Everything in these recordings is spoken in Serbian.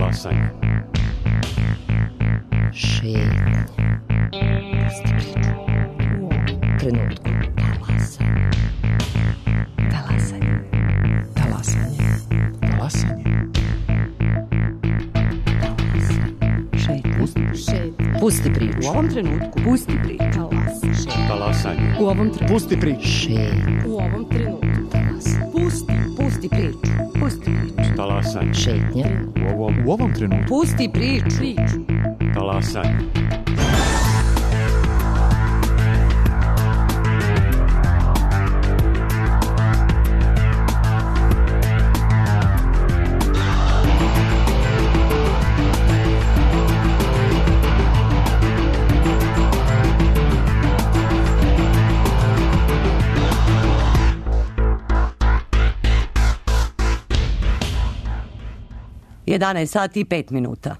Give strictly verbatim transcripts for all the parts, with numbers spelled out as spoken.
Talasanje. Šetnje. Pusti priču. U ovom trenutku. Talasanje. Talasanje. Talasanje. Talasanje. Šetnje. Pusti, Šetnje. Pusti priču. U ovom trenutku. Pusti priču. Talasanje. Talasanje. U ovom trenutku. Pusti priču. Šetnje. U ovom trenutku. Talasanje. Pusti. Pusti priču. Pusti priču. Talasanje. Šetnje. U ovom, u ovom trenutku. Pusti priču. Priču. Talasanje. jedanaest sati i pet minuta.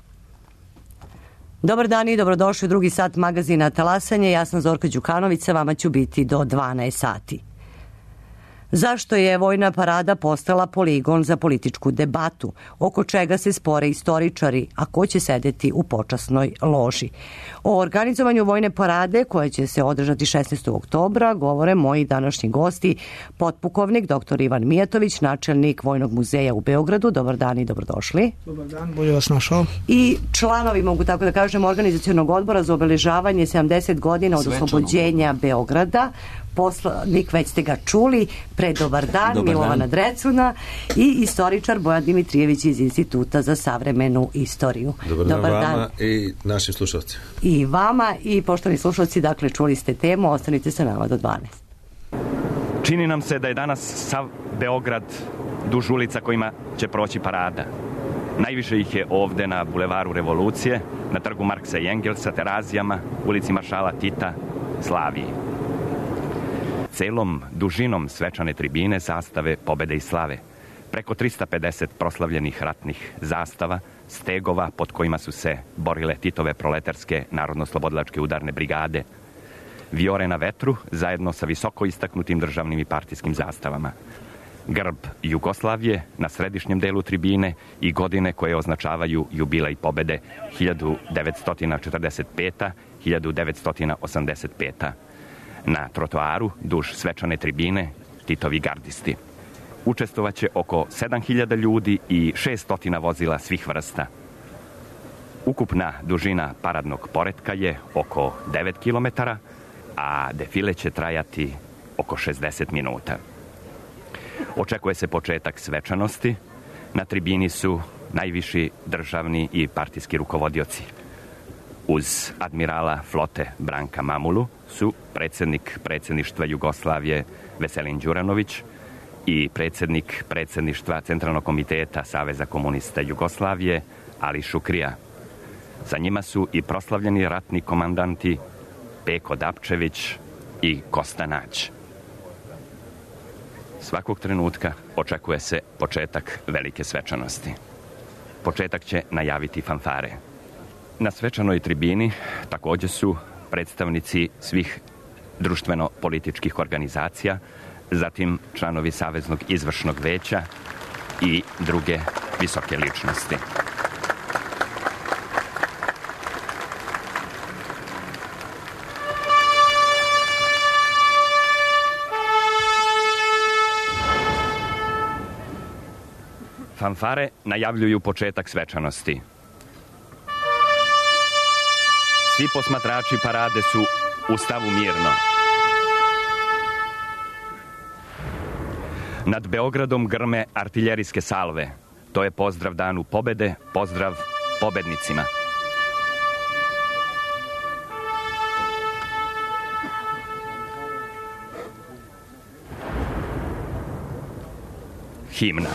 Dobar dan i dobrodošli u drugi sat magazina Talasanje. Ja sam Zorka Đukanović, sa vama ću biti do dvanaest sati. Zašto je vojna parada postala poligon za političku debatu, oko čega se spore istoričari, a ko će sedeti u počasnoj loži? O organizovanju vojne parade, koja će se održati šesnaestog oktobra, govore moji današnji gosti, potpukovnik doktor Ivan Mijatović, načelnik Vojnog muzeja u Beogradu. Dobar dan i dobrodošli. Dobar dan, bolje vas našao. I članovi, mogu tako da kažem, organizacionog odbora za obeležavanje sedamdeset godina od oslobođenja Beograda. Poslanik, već ste ga čuli, pre dobar dan, dobar Milovana dan. Drecuna i istoričar Bojan Dimitrijević iz Instituta za savremenu istoriju. Dobar, dobar dan vama i našim slušalcima. I vama i poštovani slušalci, dakle čuli ste temu, ostanite sa nama do dvanaest. Čini nam se da je danas sav Beograd duž ulica kojima će proći parada. Najviše ih je ovde na bulevaru Revolucije, na trgu Marksa i Engelsa, Terazijama, ulici Maršala Tita, Slaviji. Celom dužinom svečane tribine zastave pobede i slave. Preko trista pedeset proslavljenih ratnih zastava, stegova pod kojima su se borile Titove proletarske narodno-slobodilačke udarne brigade, vijore na vetru zajedno sa visoko istaknutim državnim i partijskim zastavama. Grb Jugoslavije na središnjem delu tribine i godine koje označavaju jubilej pobede hiljadu devetsto četrdeset peta – hiljadu devetsto osamdeset peta Na trotoaru, duž svečane tribine, Titovi gardisti. Učestvovaće oko sedam hiljada ljudi i šest stotina vozila svih vrsta. Ukupna dužina paradnog poretka je oko devet kilometara, a defile će trajati oko šezdeset minuta. Očekuje se početak svečanosti. Na tribini su najviši državni i partijski rukovodioci. Uz admirala flote Branka Mamulu su predsjednik predsjedništva Jugoslavije Veselin Đuranović i predsjednik predsjedništva Centralnog komiteta Saveza komunista Jugoslavije Ali Šukrija. Sa njima su i proslavljeni ratni komandanti Peko Dapčević i Kosta Nać. Svakog trenutka očekuje se početak velike svečanosti. Početak će najaviti fanfare. Na svečanoj tribini također su predstavnici svih društveno-političkih organizacija, zatim članovi Saveznog izvršnog veća i druge visoke ličnosti. Fanfare najavljuju početak svečanosti. Svi posmatrači parade su u stavu mirno. Nad Beogradom grme artiljerijske salve. To je pozdrav danu pobede, pozdrav pobednicima. Himna.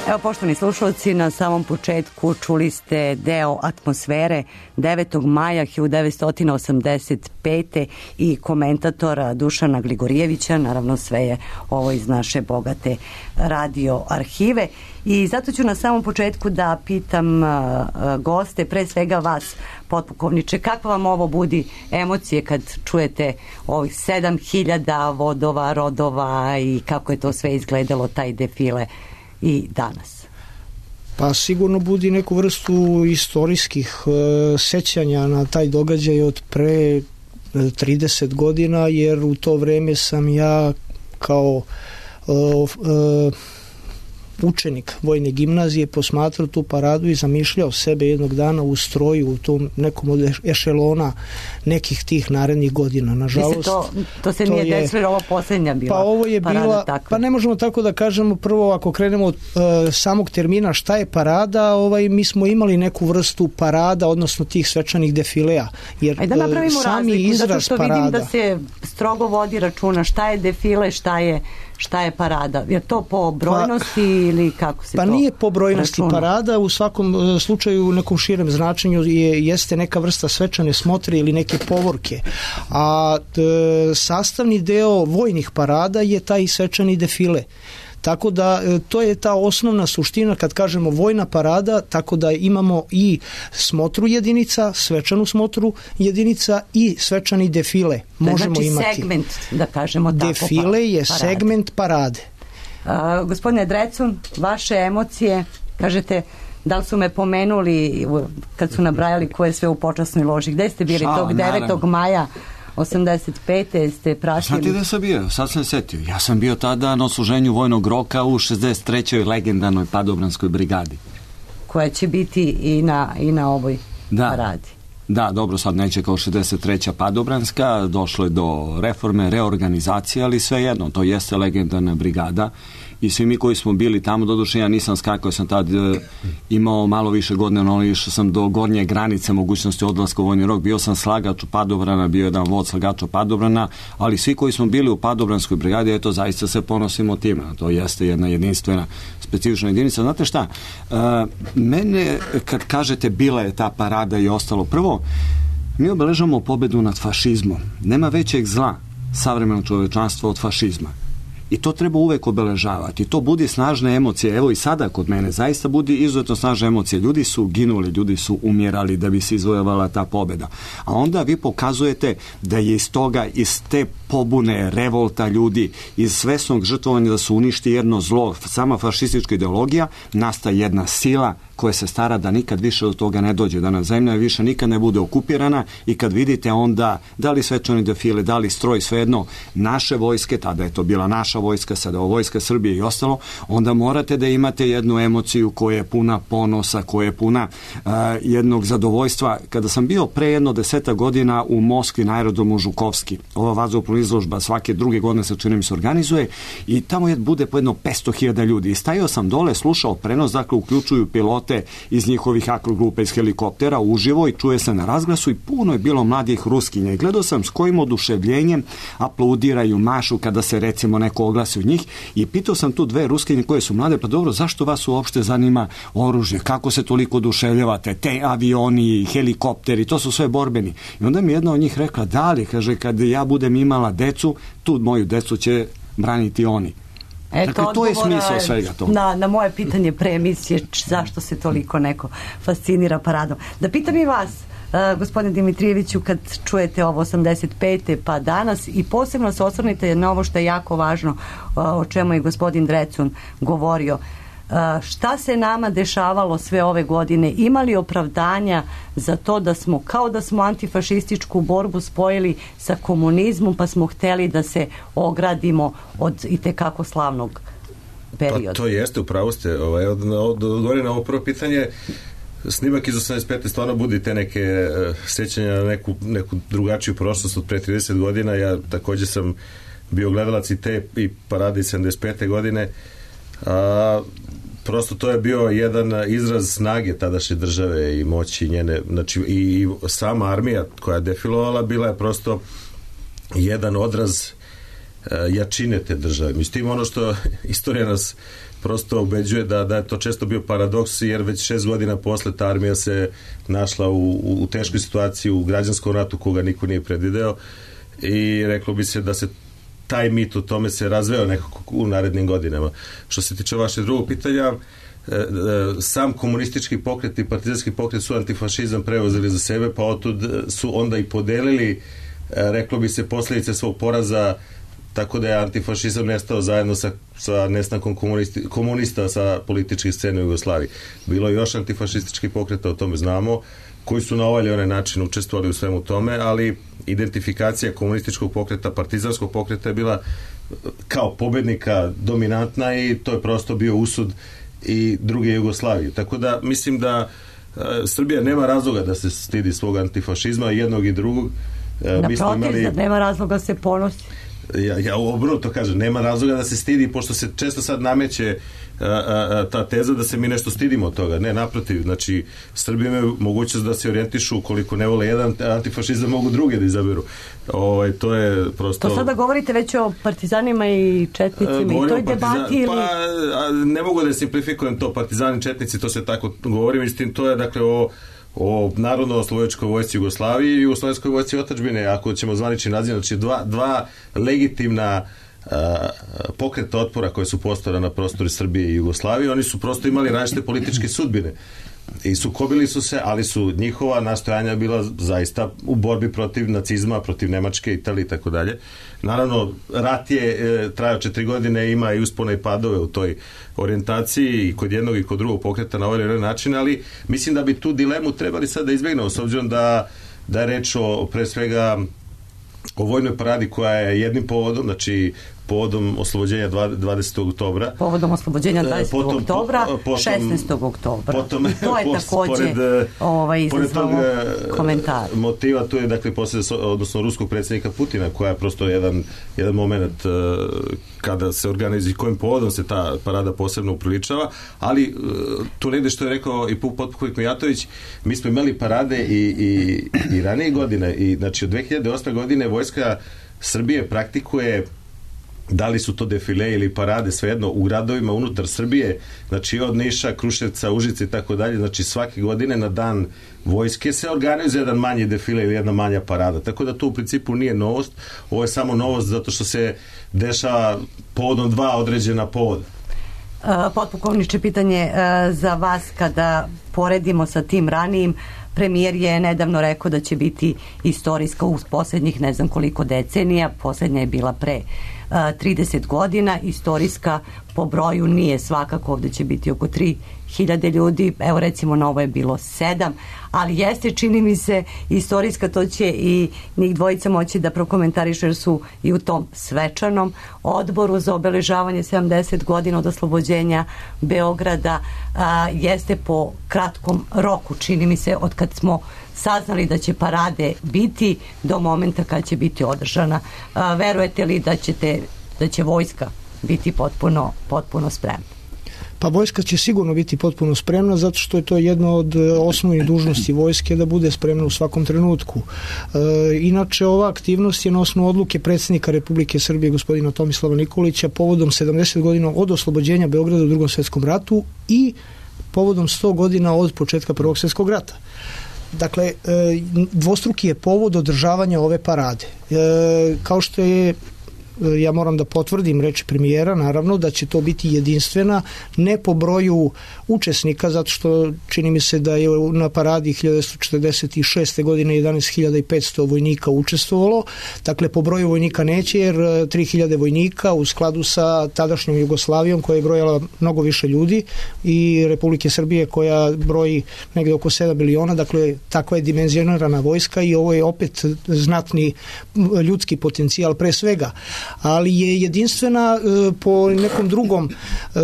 Evo, poštovani slušalci, na samom početku čuli ste deo atmosfere devetog maja hiljadu devetsto osamdeset pete i komentatora Dušana Gligorijevića. Naravno, sve je ovo iz naše bogate radio arhive. I zato ću na samom početku da pitam goste, pre svega vas, potpukovniče, kakva vam ovo budi emocije kad čujete ovih sedam hiljada vodova, rodova i kako je to sve izgledalo, taj defile i danas? Pa sigurno budi neku vrstu istorijskih e, sećanja na taj događaj od pre trideset godina, jer u to vreme sam ja kao e, e, učenik vojne gimnazije posmatrao tu paradu i zamišljao sebe jednog dana u stroju u tom nekom od ešelona nekih tih narednih godina. Nažalost, to, to se to nije je, desilo, ovo posljednja bila pa ovo je parada bila, takva. Pa ne možemo tako da kažemo. Prvo, ako krenemo od uh, samog termina šta je parada, ovaj, mi smo imali neku vrstu parada, odnosno tih svečanih defilea. Jer Ajde da napravimo sami razliku, izraz zato što parada, vidim da se strogo vodi računa šta je defile, šta je šta je parada. Je to po brojnosti pa, ili kako se pa to nije po brojnosti računa? Parada u svakom uh, slučaju u nekom širem značenju je, jeste neka vrsta svečane smotre ili neke povorke. A t, sastavni deo vojnih parada je taj svečani defile. Tako da to je ta osnovna suština kad kažemo vojna parada, tako da imamo i smotru jedinica, svečanu smotru jedinica i svečani defile. Možemo znači imati. Segment, da kažemo tako. Defile je parade. Segment parade. A, gospodine Drecun, vaše emocije, kažete, da li su me pomenuli kad su nabrajali ko je sve u počasnoj loži? Gde ste bili Šala, tog devetog maja osamdeset pete ste pratili? Znate gde sam bio? Sad sam setio. Ja sam bio tada na odsluženju vojnog roka u šezdeset trećoj legendarnoj Padobranskoj brigadi. Koja će biti i na, i na ovoj da. paradi. Da, dobro, sad neće kao šezdeset treća Padobranska, došlo je do reforme, reorganizacije, ali svejedno, to jeste legendarna brigada i svi mi koji smo bili tamo, doduše ja nisam skakao, sam tad e, imao malo više godina, no išao sam do gornje granice mogućnosti odlaska u vojni rok, bio sam slagač u Padobrana, bio jedan vod slagača Padobrana, ali svi koji smo bili u Padobranskoj brigadi, eto, zaista se ponosimo time, to jeste jedna jedinstvena specifična jedinica. Znate šta, e, mene, kad kažete bila je ta parada i ostalo, prvo, mi obeležamo pobedu nad fašizmom. Nema većeg zla savremenog čovečanstva od fašizma. I to treba uvek obeležavati. To budi snažne emocije. Evo i sada kod mene zaista budi izuzetno snažne emocije. Ljudi su ginuli, ljudi su umjerali da bi se izvojevala ta pobeda. A onda vi pokazujete da je iz toga, iz te pobune, revolta ljudi, iz svesnog žrtvovanja da su uništi jedno zlo, sama fašistička ideologija, nastaje jedna sila koja se stara da nikad više od toga ne dođe, da na zemlja više nikad ne bude okupirana i kad vidite onda da li svečani defile, da li stroj, svejedno naše vojske, tada je to bila naša vojska, sada ovo vojska Srbije i ostalo, onda morate da imate jednu emociju koja je puna ponosa, koja je puna uh, jednog zadovoljstva. Kada sam bio pre jedno deseta godina u Moskvi na aerodromu Žukovski, ova vazduhoplovna izložba svake druge godine se čini mi se organizuje i tamo je bude po jedno petsto hiljada ljudi i stajao sam dole, slušao prenos, dakle uključuju pilote iz njihovih akrogrupa iz helikoptera uživo i čuje se na razglasu i puno je bilo mladih Ruskinja i gledao sam s kojim oduševljenjem aplaudiraju, mašu kada se recimo neko oglasi od njih i pitao sam tu dve Ruskinje koje su mlade, pa dobro, zašto vas uopšte zanima oružje, kako se toliko oduševljavate, te avioni, helikopteri, to su sve borbeni. I onda mi jedna od njih rekla, da li, kaže, kad ja budem imala decu, tu moju decu će braniti oni. Eto, dakle, to je smisao svega toga. Na, na moje pitanje pre emisije zašto se toliko neko fascinira paradom. Da pitam i vas, uh, gospodine Dimitrijeviću, kad čujete ovo osamdeset pete pa danas i posebno se osvrnite na ovo što je jako važno, uh, o čemu je gospodin Drecun govorio. Uh, šta se nama dešavalo sve ove godine? Imali opravdanja za to da smo, kao da smo antifašističku borbu spojili sa komunizmom, pa smo hteli da se ogradimo od itekako slavnog perioda? Pa to jeste, upravo ste. Ovaj, od, od, odgovorim na ovo prvo pitanje. Snimak iz osamdeset pete stvarno budi te neke uh, sjećanja na neku, neku drugačiju prošlost od pre trideset godina. Ja također sam bio gledalac i te i parade iz sedamdeset pete godine. A, prosto to je bio jedan izraz snage tadašnje države i moći njene, znači i, i sama armija koja je defilovala bila je prosto jedan odraz a, jačine te države. Mislim, ono što istorija nas prosto ubeđuje da, da je to često bio paradoks, jer već šest godina posle ta armija se našla u, u, u teškoj situaciji u građanskom ratu koga niko nije predvideo i reklo bi se da se taj mit o tome se razveo nekako u narednim godinama. Što se tiče vaše drugog pitanja, sam komunistički pokret i partizanski pokret su antifašizam preuzeli za sebe, pa otud su onda i podelili, reklo bi se, posljedice svog poraza tako da je antifašizam nestao zajedno sa, sa nestankom komunista sa političke scene u Jugoslaviji. Bilo je još antifašističkih pokreta, o tome znamo, koji su na ovaj ili onaj način učestvovali u svemu tome, ali identifikacija komunističkog pokreta, partizanskog pokreta je bila kao pobednika dominantna i to je prosto bio usud i druge Jugoslavije. Tako da mislim da e, Srbija nema razloga da se stidi svog antifašizma, jednog i drugog. E, Naprotiv, imali... nema razloga se ponosi. Ja, ja obrnuto kažem, nema razloga da se stidi, pošto se često sad nameće a, a, ta teza da se mi nešto stidimo od toga. Ne, naprotiv, znači Srbi imaju mogućnost da se orijentišu, koliko ne vole jedan antifašizam, mogu druge da izaberu. Ovaj, to je prosto... To sada govorite već o partizanima i četnicima i toj debati ili... Pa, ne mogu da simplifikujem to, partizani, četnici, to se tako govorim, istim, to je dakle o o Narodno-oslobodilačkoj vojsci Jugoslaviji i Jugoslovenskoj vojsci otadžbine, ako ćemo zvanični naziv, znači dva, dva legitimna uh, pokreta otpora koje su postojala na prostoru Srbije i Jugoslavije, oni su prosto imali različite političke sudbine i sukobili su se, ali su njihova nastojanja bila zaista u borbi protiv nacizma, protiv Nemačke, Italije i tako dalje. Naravno, rat je e, trajao četiri godine, ima i uspone i padove u toj orijentaciji i kod jednog i kod drugog pokreta na ovaj način, ali mislim da bi tu dilemu trebali sad da izbjegnemo, s obzirom da, da je reč o, pre svega, o vojnoj paradi koja je jednim povodom, znači povodom oslobođenja dvadesetog oktobra. Povodom oslobođenja dvadesetog potom, oktobra, potom, šesnaestog oktobra. Potom, I to je post, takođe pored, ovaj, izazvalo komentar. Motiva, to je dakle posle, odnosno ruskog predsjednika Putina, koja je prosto jedan, jedan moment uh, kada se organizuje, kojim povodom se ta parada posebno upriličava, ali uh, tu negde što je rekao i potpukovnik Mijatović, mi smo imali parade i, i, i ranije godine, i znači od dve hiljade osme godine vojska Srbije praktikuje, da li su to defile ili parade, svejedno, u gradovima unutar Srbije, znači od Niša, Kruševca, Užice i tako dalje, znači svake godine na dan vojske se organizuje jedan manji defile ili jedna manja parada, tako da to u principu nije novost, ovo je samo novost zato što se dešava povodom dva određena povoda. Potpukovniče, pitanje za vas, kada poredimo sa tim ranijim, premijer je nedavno rekao da će biti istorijska u posljednjih ne znam koliko decenija, posljednja je bila pre trideset godina, istorijska po broju nije svakako, ovdje će biti oko tri hiljade ljudi, evo recimo na ovo je bilo sedam, ali jeste, čini mi se, istorijska, to će i njih dvojica moći da prokomentarišu, jer su i u tom svečanom odboru za obeležavanje sedamdeset godina od oslobođenja Beograda, a, jeste po kratkom roku, čini mi se, od kad smo saznali da će parade biti do momenta kad će biti održana. A, verujete li da ćete, da će vojska biti potpuno, potpuno spremna? Pa vojska će sigurno biti potpuno spremna, zato što je to jedno od osnovnih dužnosti vojske da bude spremna u svakom trenutku. E, inače, ova aktivnost je na osnovu odluke predsjednika Republike Srbije gospodina Tomislava Nikolića povodom sedamdeset godina od oslobođenja Beograda u Drugom svjetskom ratu i povodom sto godina od početka Prvog svjetskog rata. Dakle, e, dvostruki je povod održavanja ove parade. E, kao što je, ja moram da potvrdim reči premijera, naravno da će to biti jedinstvena, ne po broju učesnika, zato što čini mi se da je na paradi hiljadu devetsto četrdeset šeste godine jedanaest hiljada petsto vojnika učestvovalo, dakle po broju vojnika neće, jer tri hiljade vojnika u skladu sa tadašnjom Jugoslavijom koja je brojala mnogo više ljudi i Republike Srbije koja broji negde oko sedam miliona, dakle takva je dimenzionirana vojska i ovo je opet znatni ljudski potencijal pre svega, ali je jedinstvena e, po nekom drugom e,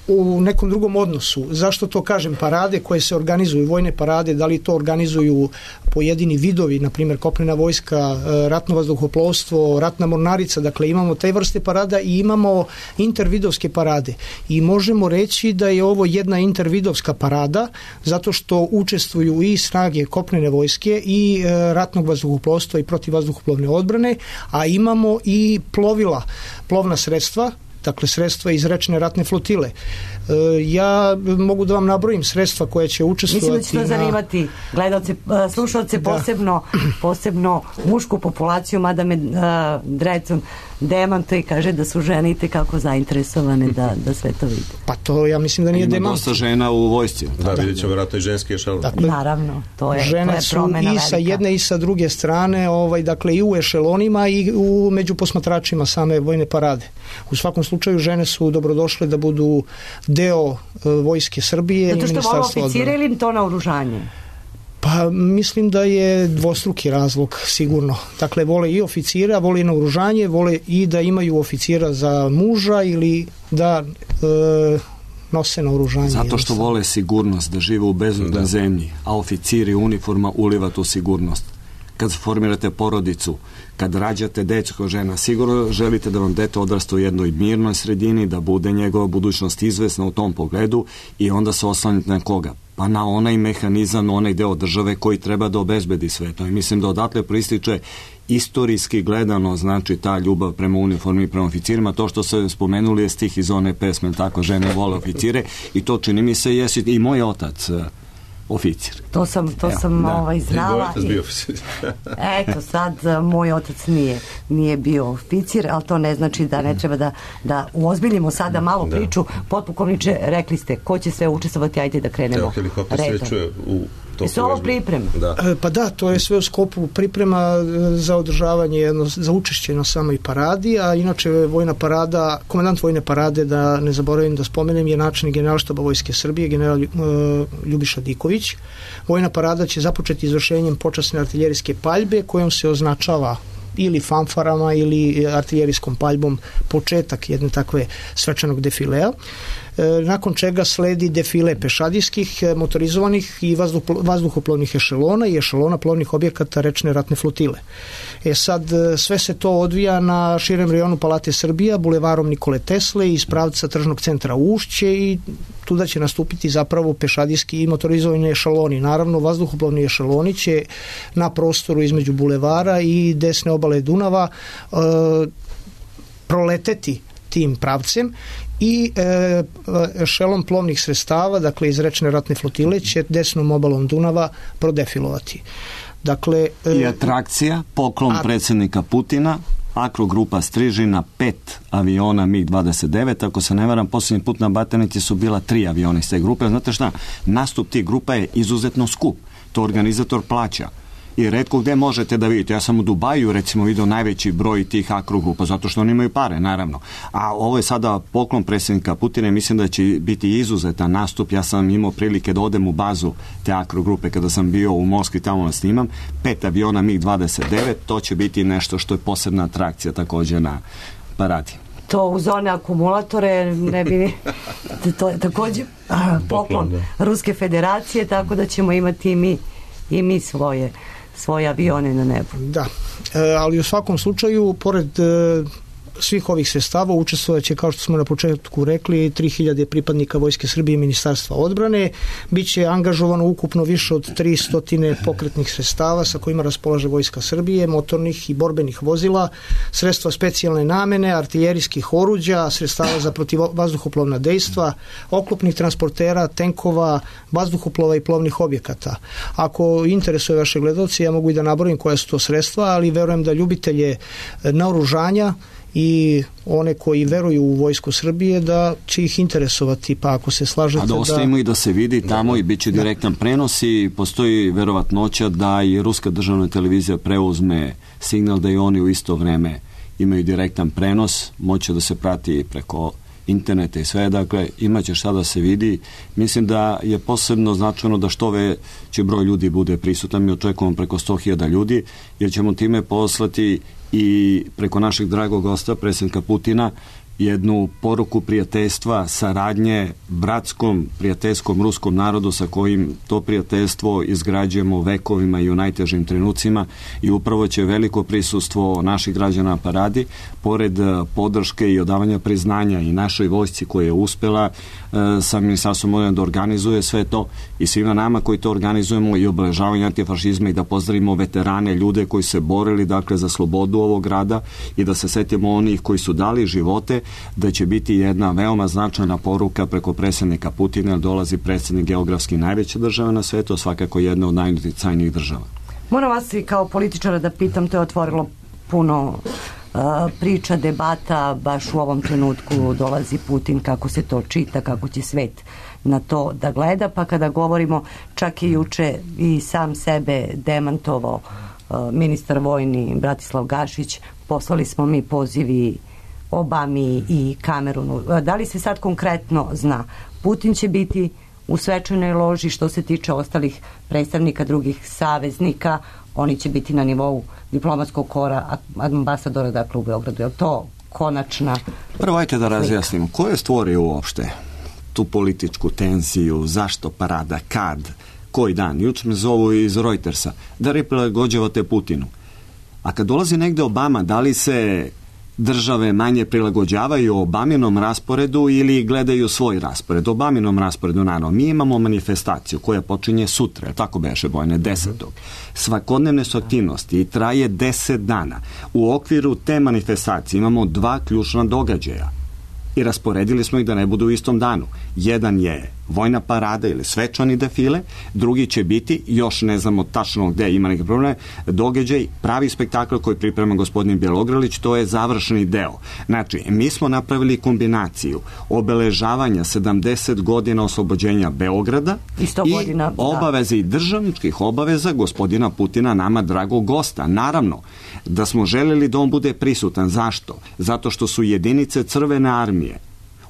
u nekom drugom odnosu. Zašto to kažem? Parade koje se organizuju, vojne parade, da li to organizuju pojedini vidovi, na primjer kopnena vojska, e, ratno vazduhoplovstvo, ratna mornarica, dakle imamo te vrste parada i imamo intervidovske parade. I možemo reći da je ovo jedna intervidovska parada, zato što učestvuju i snage kopnene vojske i e, ratnog vazduhoplovstva i protivvazduhoplovne odbrane, a imamo i plovila, plovna sredstva, dakle sredstva iz rečne ratne flotile. E, ja mogu da vam nabrojim sredstva koje će učestvovati. Mislim da će to zanimati gledalce, slušalce, Da. posebno, posebno mušku populaciju, mada me uh, Drecun demantuje i kaže da su žene itekako zainteresovane da, da sve to vide. Pa to ja mislim da nije Ima demant. dosta žena u vojsci. Da, vidjet ćemo vjerojatno i ženski ešalon. Dakle, Naravno, to je, žene to je su promena i sa velika. jedne i sa druge strane, ovaj, dakle i u ešelonima i u među posmatračima same vojne parade. U svakom slučaju žene su dobrodošle da budu deo uh, vojske Srbije Zato i što vole Ministarstva oficire odbrane. ili to naoružanje? Pa mislim da je dvostruki razlog sigurno. Dakle, vole i oficira, vole i naoružanje, vole i da imaju oficira za muža ili da e, nose naoružanje. Zato što vole sigurnost, da žive u bezbednoj zemlji, a oficiri uniforma uliva tu sigurnost. Kad formirate porodicu, kad rađate decu kao žena, sigurno želite da vam dete odrasta u jednoj mirnoj sredini, da bude njegova budućnost izvesna u tom pogledu i onda se oslanite na koga? Pa na onaj mehanizam, onaj deo države koji treba da obezbedi sve to. I mislim da odatle proističe istorijski gledano, znači ta ljubav prema uniformi i prema oficirima. To što se spomenuli je stih iz one pesme, tako, žene vole oficire, i to čini mi se jesi i moj otac oficir. To sam, to Evo, sam da. ovaj, znala. Otac bio oficir. Eto, sad uh, moj otac nije, nije bio oficir, ali to ne znači da ne treba da, da uozbiljimo sada malo Da. priču. Potpukovniče, rekli ste, ko će sve učestvovati, ajde da krenemo. Evo, helikopter se redom. već čuje u toku. Jesu ovo vežbe. pripreme? Da. E, Pa da, to je sve u skopu priprema e, za održavanje, jedno, za učešće na samoj paradi, a inače vojna parada, komandant vojne parade, da ne zaboravim da spomenem, je načelnik Generalštaba Vojske Srbije, general e, Ljubiša Diković. Vojna parada će započeti izvršenjem počasne artiljerijske paljbe kojom se označava ili fanfarama ili artiljerijskom paljbom početak jedne takve svečanog defilea. E, nakon čega sledi defile pešadijskih, e, motorizovanih i vazduh, vazduhoplovnih ešelona i ešelona plovnih objekata rečne ratne flotile. E sad, e, sve se to odvija na širem rejonu Palate Srbija, bulevarom Nikole Tesle iz pravca tržnog centra Ušće, i tuda će nastupiti zapravo pešadijski i motorizovani ešeloni. Naravno, vazduhoplovni ešeloni će na prostoru između bulevara i desne obale Dunava e, proleteti tim pravcem i e, ešelon plovnih sredstava, dakle iz rečne ratne flotile, će desnom obalom Dunava prodefilovati. Dakle, e, I atrakcija, poklon a- predsjednika Putina, Akrogrupa Strižina, pet aviona mig dvadeset devet, ako se ne varam, posljednji put na Batajnici su bila tri aviona iz te grupe. Znate šta, nastup tih grupa je izuzetno skup, to organizator plaća. I retko gde možete da vidite. Ja sam u Dubaju recimo vidio najveći broj tih akrogrupa, zato što oni imaju pare, naravno. A ovo je sada poklon predsjednika Putina i mislim da će biti izuzetan nastup. Ja sam imao prilike da odem u bazu te akrogrupe kada sam bio u Moskvi, tamo da snimam. Pet aviona mig dvadeset devet, to će biti nešto što je posebna atrakcija također na paradi. To uz one akumulatore ne bi to je također a, poklon Poklon, Ruske federacije, tako da ćemo imati i mi, i mi svoje svoje avione na nebu. Da, e, ali u svakom slučaju, pored e, svih ovih sredstava učestvovat će, kao što smo na početku rekli, tri hiljade pripadnika Vojske Srbije i Ministarstva odbrane. Biće angažovano ukupno više od tristo pokretnih sredstava sa kojima raspolaže Vojska Srbije, motornih i borbenih vozila, sredstva specijalne namene, artiljerijskih oruđa, sredstava za protivvazduhoplovna dejstva, oklopnih transportera, tenkova, vazduhoplova i plovnih objekata. Ako interesuje vaše gledalci, ja mogu i da nabrojim koja su to sredstva, ali verujem da ljubitelje naoružanja i one koji veruju u Vojsku Srbije da će ih interesovati, pa ako se slažete A da ostavimo i da se vidi tamo i bit će direktan prenos i postoji verovatnoća da i Ruska državna televizija preuzme signal da i oni u isto vreme imaju direktan prenos, moće da se prati preko interneta i sve, dakle imaće šta da se vidi. Mislim da je posebno značajno da što veći broj ljudi bude prisutan. Mi očekujemo preko sto hiljada ljudi, jer ćemo time poslati i preko našeg dragog gosta, predsjednika Putina, jednu poruku prijateljstva, saradnje bratskom, prijateljskom ruskom narodu sa kojim to prijateljstvo izgrađujemo vekovima i u najtežim trenucima, i upravo će veliko prisustvo naših građana na paradi, pored podrške i odavanja priznanja i našoj vojsci koja je uspela e, sa Ministarstvom odbrane da organizuje sve to, i svima nama koji to organizujemo i obeležavanje antifašizma, i da pozdravimo veterane, ljude koji se borili dakle za slobodu ovog grada, i da se setimo onih koji su dali živote da će biti jedna veoma značajna poruka preko predsjednika Putina, jer dolazi predsjednik geografski najveće države na svetu, svakako jedna od najuticajnijih država. Moram vas i kao političara da pitam, to je otvorilo puno uh, priča, debata, baš u ovom trenutku dolazi Putin, kako se to čita, kako će svet na to da gleda, pa kada govorimo, čak i juče i sam sebe demantovao uh, ministar vojni Bratislav Gašić, poslali smo mi pozivi Obami i Kamerunu. Da li se sad konkretno zna? Putin će biti u svečanoj loži, što se tiče ostalih predstavnika drugih saveznika, oni će biti na nivou diplomatskog kora ambasadora, dakle u Beogradu. Je li to konačna... Prvo, ajte da razjasnimo. Ko je stvorio uopšte tu političku tenziju, zašto parada, kad, koji dan? Juče me zovu iz Reutersa da prilagođavate Putinu. A kad dolazi negde Obama, da li se države manje prilagođavaju Obaminom rasporedu ili gledaju svoj raspored? Obaminom rasporedu, naravno. Mi imamo manifestaciju koja počinje sutra, tako beše, Bojane, desetog. Svakodnevne su aktivnosti i traje deset dana. U okviru te manifestacije imamo dva ključna događaja i rasporedili smo ih da ne budu u istom danu. Jedan je vojna parada ili svečani defile, drugi će biti, još ne znamo tačno gde ima neke probleme, događaj, pravi spektakl koji priprema gospodin Bjelogrlić, to je završni deo. Znači, mi smo napravili kombinaciju obeležavanja sedamdeset godina oslobođenja Beograda i, godina, i obaveze i državničkih obaveza gospodina Putina, nama dragog gosta. Naravno, da smo želeli da on bude prisutan. Zašto? Zato što su jedinice Crvene armije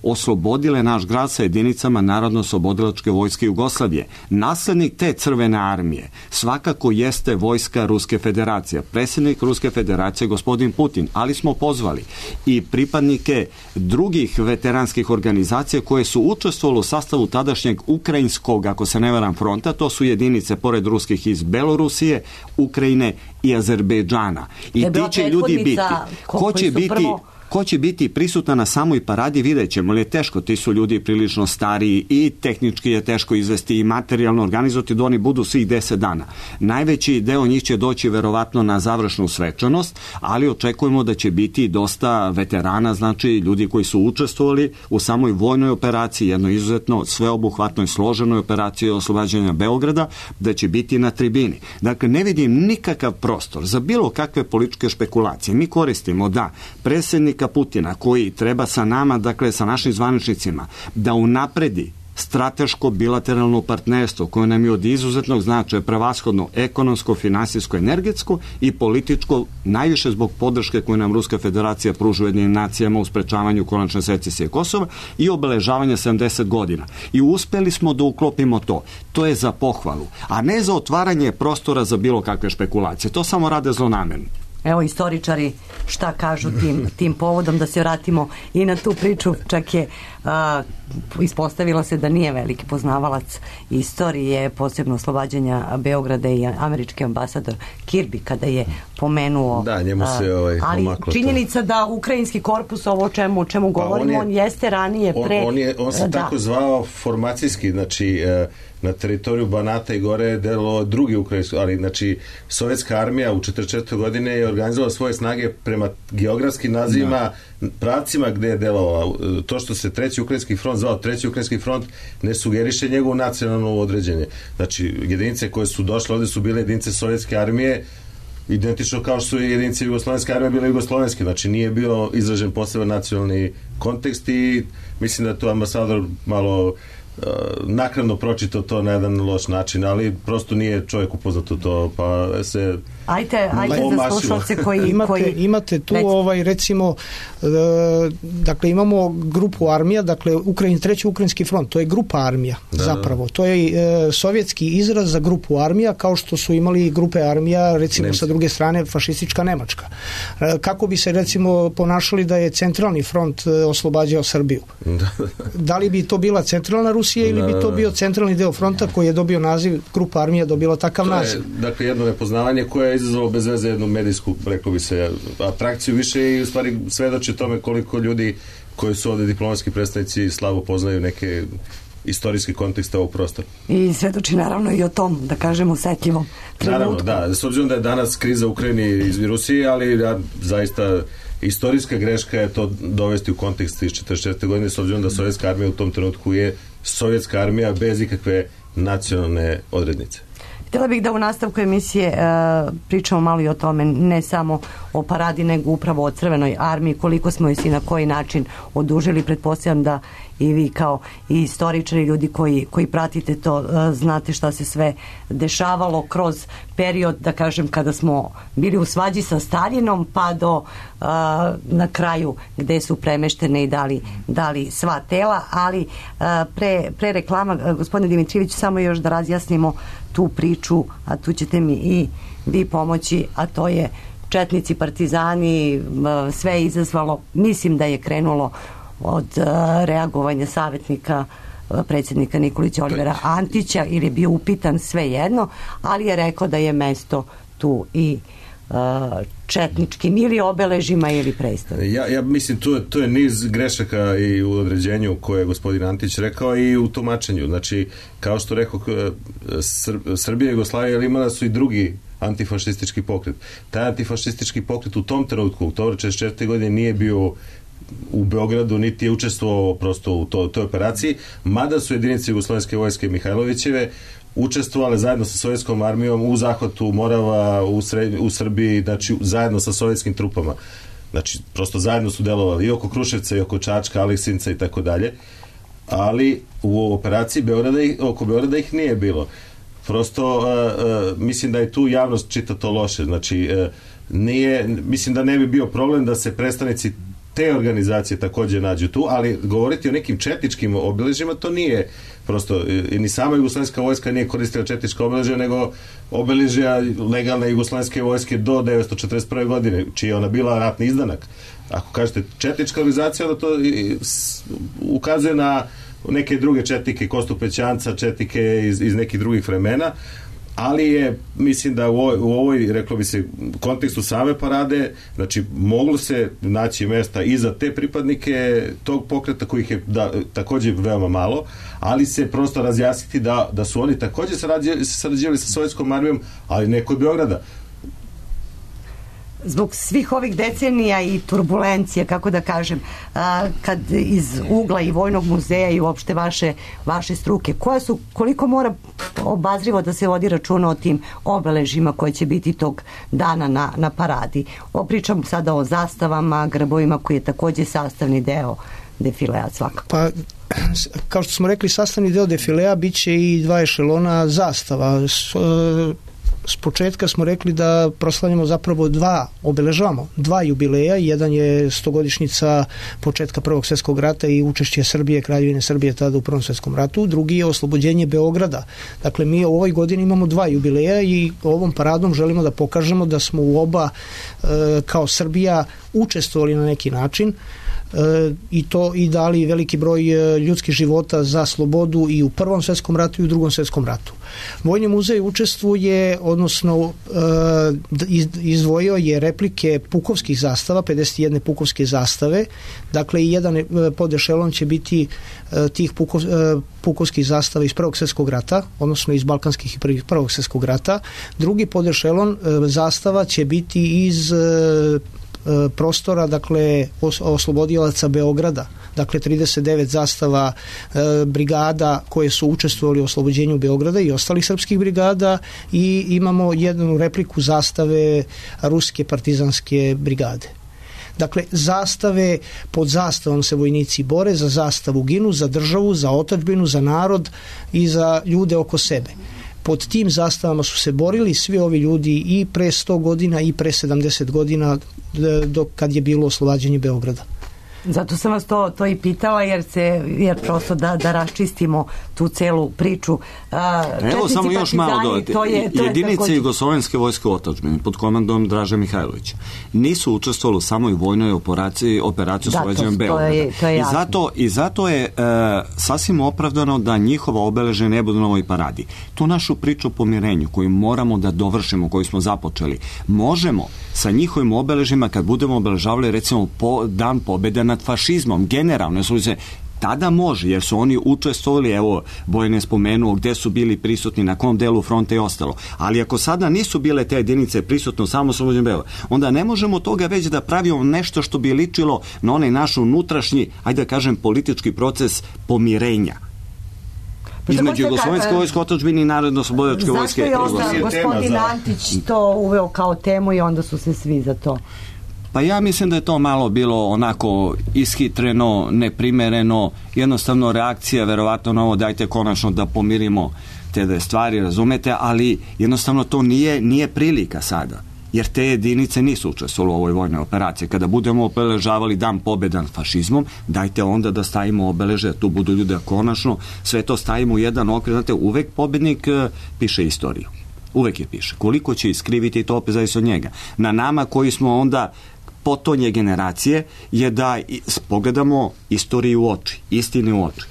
oslobodile naš grad sa jedinicama Narodno-oslobodilačke vojske Jugoslavije. Naslednik te Crvene armije svakako jeste vojska Ruske federacije. Predsjednik Ruske federacije gospodin Putin, ali smo pozvali i pripadnike drugih veteranskih organizacija koje su učestvovali u sastavu tadašnjeg ukrajinskog, ako se ne varam, fronta. To su jedinice pored ruskih iz Belorusije, Ukrajine i Azerbejdžana. I ti će ljudi biti. Ko će biti... Prvo... Ko će biti prisutan na samoj paradi, vidjet ćemo, ali je teško, ti su ljudi prilično stariji i tehnički je teško izvesti i materijalno organizovati da oni budu svih deset dana. Najveći deo njih će doći verovatno na završnu svečanost, ali očekujemo da će biti dosta veterana, znači ljudi koji su učestvovali u samoj vojnoj operaciji, jednoj izuzetno sveobuhvatnoj složenoj operaciji oslobađanja Beograda, da će biti na tribini. Dakle, ne vidim nikakav prostor za bilo kakve političke špekulacije. Mi koristimo da predsjednik Putina, koji treba sa nama, dakle sa našim zvaničnicima, da unapredi strateško bilateralno partnerstvo koje nam je od izuzetnog značaja, prevashodno ekonomsko, finansijsko, energetsko i političko, najviše zbog podrške koju nam Ruska federacija pruža Ujedinjenim nacijama u sprečavanju konačne secesije Kosova i obeležavanja sedamdeset godina. I uspeli smo da uklopimo to. To je za pohvalu, a ne za otvaranje prostora za bilo kakve špekulacije. To samo rade zlonamerno. Evo, istoričari šta kažu tim, tim povodom, da se vratimo i na tu priču. Čak je a, ispostavilo se da nije veliki poznavalac istorije, posebno oslobađanja Beograda, i američki ambasador Kirby kada je pomenuo. Da, njemu se ovaj, ali činjenica da ukrajinski korpus, ovo o čemu, o čemu pa govorimo, on, je, on jeste ranije pre... On, on, je, on se da. tako zvao formacijski, znači... na teritoriju Banata i gore je delo drugi ukrajinski, ali znači sovjetska armija u četrdeset četvrtoj godine je organizovala svoje snage prema geografskim nazivima, no. pravcima gde je delovao. To što se treći ukrajinski front zvao treći ukrajinski front ne sugeriše njegovo nacionalno određenje. Znači jedinice koje su došle ovde su bile jedinice sovjetske armije, identično kao što su i jedinice jugoslovenske armije bile jugoslovenske, znači nije bio izražen poseban nacionalni kontekst i mislim da je to ambasador malo naknadno pročitao to na jedan loš način, ali prosto nije čovjek upoznat u to, pa se ajte, ajte za slušalce koji imate, koji... imate tu recimo. ovaj recimo e, dakle imamo grupu armija, dakle Ukrajin, treći ukrajinski front, to je grupa armija da, zapravo, da. to je e, sovjetski izraz za grupu armija, kao što su imali grupe armija recimo Nemci. Sa druge strane fašistička Nemačka. E, kako bi se recimo ponašali da je centralni front e, oslobađao Srbiju? Da. Da li bi to bila centralna Rusija ili bi to bio centralni deo fronta koji je dobio naziv, grupa armija dobila takav to naziv? Je, dakle jedno nepoznavanje koje je izazvalo bez veze jednu medijsku, rekao bi se, atrakciju više i u stvari svedoči tome koliko ljudi koji su ovde diplomatski predstavnici slabo poznaju neke istorijski kontekst ovog prostora. I svedoči naravno i o tom, da kažemo, osetljivom trenutku. Naravno, da. S obzirom da je danas kriza u Ukrajini iz Rusije, ali ja zaista istorijska greška je to dovesti u kontekst iz četrdeset četvrte godine, s obzirom da sovjetska armija u tom trenutku je sovjetska armija bez ikakve nacionalne odrednice. Htjela bih da u nastavku emisije e, pričamo malo i o tome, ne samo o paradi, nego upravo o Crvenoj armiji, koliko smo joj i na koji način odužili. Pretpostavljam da i vi kao i istoričari, ljudi koji, koji pratite to, e, znate šta se sve dešavalo kroz period, da kažem, kada smo bili u svađi sa Staljinom, pa do e, na kraju gde su premeštene i dali, dali sva tela, ali e, pre, pre reklama, gospodine Dimitrijević, samo još da razjasnimo tu priču, a tu ćete mi i vi pomoći, a to je četnici, partizani, sve je izazvalo, mislim da je krenulo od reagovanja savjetnika predsjednika Nikolića Olivera Antića, ili je bio upitan, sve jedno, ali je rekao da je mesto tu i četničkim ili obeležima ili predstavima. Ja, ja mislim to, to je niz grešaka i u određenju koje je gospodin Antić rekao i u tumačenju. Znači, kao što rekao, Sr Srbija i Jugoslavija imala su i drugi antifašistički pokret. Taj antifašistički pokret u tom trenutku, u oktobra četrdeset četvrte godine, nije bio u Beogradu, niti je učestvovao prosto u to, toj operaciji, mada su jedinice Jugoslovenske vojske Mihajlovićeve učestvovale zajedno sa sovjetskom armijom u zahvatu Morava u, Sred, u Srbiji, znači zajedno sa sovjetskim trupama. Znači, prosto zajedno su delovali i oko Kruševca i oko Čačka, Aleksinca i tako dalje, ali u operaciji Beograda, oko Beograda ih nije bilo. Prosto, uh, uh, mislim da je tu javnost čita to loše. Znači, uh, nije, mislim da ne bi bio problem da se predstavnici te organizacije također nađu tu, ali govoriti o nekim četničkim obeležjima, to nije prosto, ni sama jugoslovenska vojska nije koristila četnička obeležja, nego obeležja legalne jugoslovenske vojske do devetsto četrdeset prve godine, čiji je ona bila ratni izdanak. Ako kažete četnička organizacija, onda to ukazuje na neke druge četnike, Kostu Pećanca, četnike iz, iz nekih drugih vremena, ali je, mislim da u ovoj, u ovoj, reklo bi se, kontekstu same parade, znači moglo se naći mesta i za te pripadnike tog pokreta, kojih je da, također veoma malo, ali se prosto razjasniti da, da su oni također sarađivali sa sovjetskom armijom, ali ne kod Beograda. Zbog svih ovih decenija i turbulencije, kako da kažem, a, kad iz ugla i Vojnog muzeja i uopšte vaše, vaše struke, koja su, koliko mora obazrivo da se vodi računa o tim obeležima koje će biti tog dana na, na paradi? Pričam sada o zastavama, grbovima, koji je također sastavni deo defilea svakako. Pa, kao što smo rekli, sastavni deo defilea bit će i dva ešelona zastava. S, S početka smo rekli da proslavljamo zapravo dva, obeležavamo dva jubileja, jedan je stogodišnjica početka Prvog svjetskog rata i učešće Srbije, Kraljevine Srbije tada u Prvom svjetskom ratu, drugi je oslobođenje Beograda. Dakle, mi u ovoj godini imamo dva jubileja i ovom paradom želimo da pokažemo da smo u oba e, kao Srbija učestvovali na neki način, E, i to i dali veliki broj ljudskih života za slobodu i u Prvom svjetskom ratu i u Drugom svjetskom ratu. Vojni muzej učestvuje, odnosno e, izdvojio je replike pukovskih zastava, pedeset jedne pukovske zastave, dakle i jedan podešelon će biti e, tih pukov, e, pukovskih zastava iz Prvog svjetskog rata, odnosno iz Balkanskih i Prvog svjetskog rata. Drugi podešelon e, zastava će biti iz e, prostora, dakle os, oslobodilaca Beograda, dakle trideset devet zastava e, brigada koje su učestvovali u oslobođenju Beograda i ostalih srpskih brigada, i imamo jednu repliku zastave ruske partizanske brigade. Dakle, zastave, pod zastavom se vojnici bore, za zastavu ginu, za državu, za otadžbinu, za narod i za ljude oko sebe. Pod tim zastavama su se borili svi ovi ljudi i pre sto godina i pre sedamdeset godina, dok kad je bilo oslobađanje Beograda. Zato sam vas to, to i pitala, jer se, jer prosto da, da raščistimo tu celu priču. A, Evo samo još malo dodati. To je, to Jedinice također... Jugoslovenske vojske otadžbine pod komandom Draže Mihajlovića nisu učestvovali u samoj vojnoj operaciji, operaciju oslobađanja Beograda. Je, to je I, zato, I zato je e, sasvim opravdano da njihova obeležja ne budu na ovoj paradi. Tu našu priču o pomirenju koju moramo da dovršimo, koju smo započeli, možemo sa njihovim obeležima, kad budemo obeležavali recimo po, dan pobjede nad fašizmom, generalno, su se Tada može, jer su oni učestvovali, evo, Bojan je spomenuo gde su bili prisutni, na kom delu fronta i ostalo. Ali ako sada nisu bile te jedinice prisutne u samoslobođenju Beograda, onda ne možemo toga već da pravimo nešto što bi ličilo na onaj naš unutrašnji, ajde da kažem, politički proces pomirenja između Jugoslovenske vojske otadžbine i Narodno-oslobodilačke vojske. Zašto je onda gospodin Antić to uveo kao temu i onda su se svi za to? Pa ja mislim da je to malo bilo onako ishitreno, neprimereno, jednostavno reakcija verovatno na ovo, dajte konačno da pomirimo te dve stvari, razumete, ali jednostavno to nije, nije prilika sada, jer te jedinice nisu učestvovale u ovoj vojnoj operaciji. Kada budemo obeležavali dan pobjede nad fašizmom, dajte onda da stavimo obeleže, tu budu ljude konačno, sve to stavimo u jedan okvir, znate, uvek pobednik piše istoriju. Uvek je piše. Koliko će iskriviti, to opet zavisi od njega. Na nama koji smo onda potonje generacije je da pogledamo istoriju u oči, istine u oči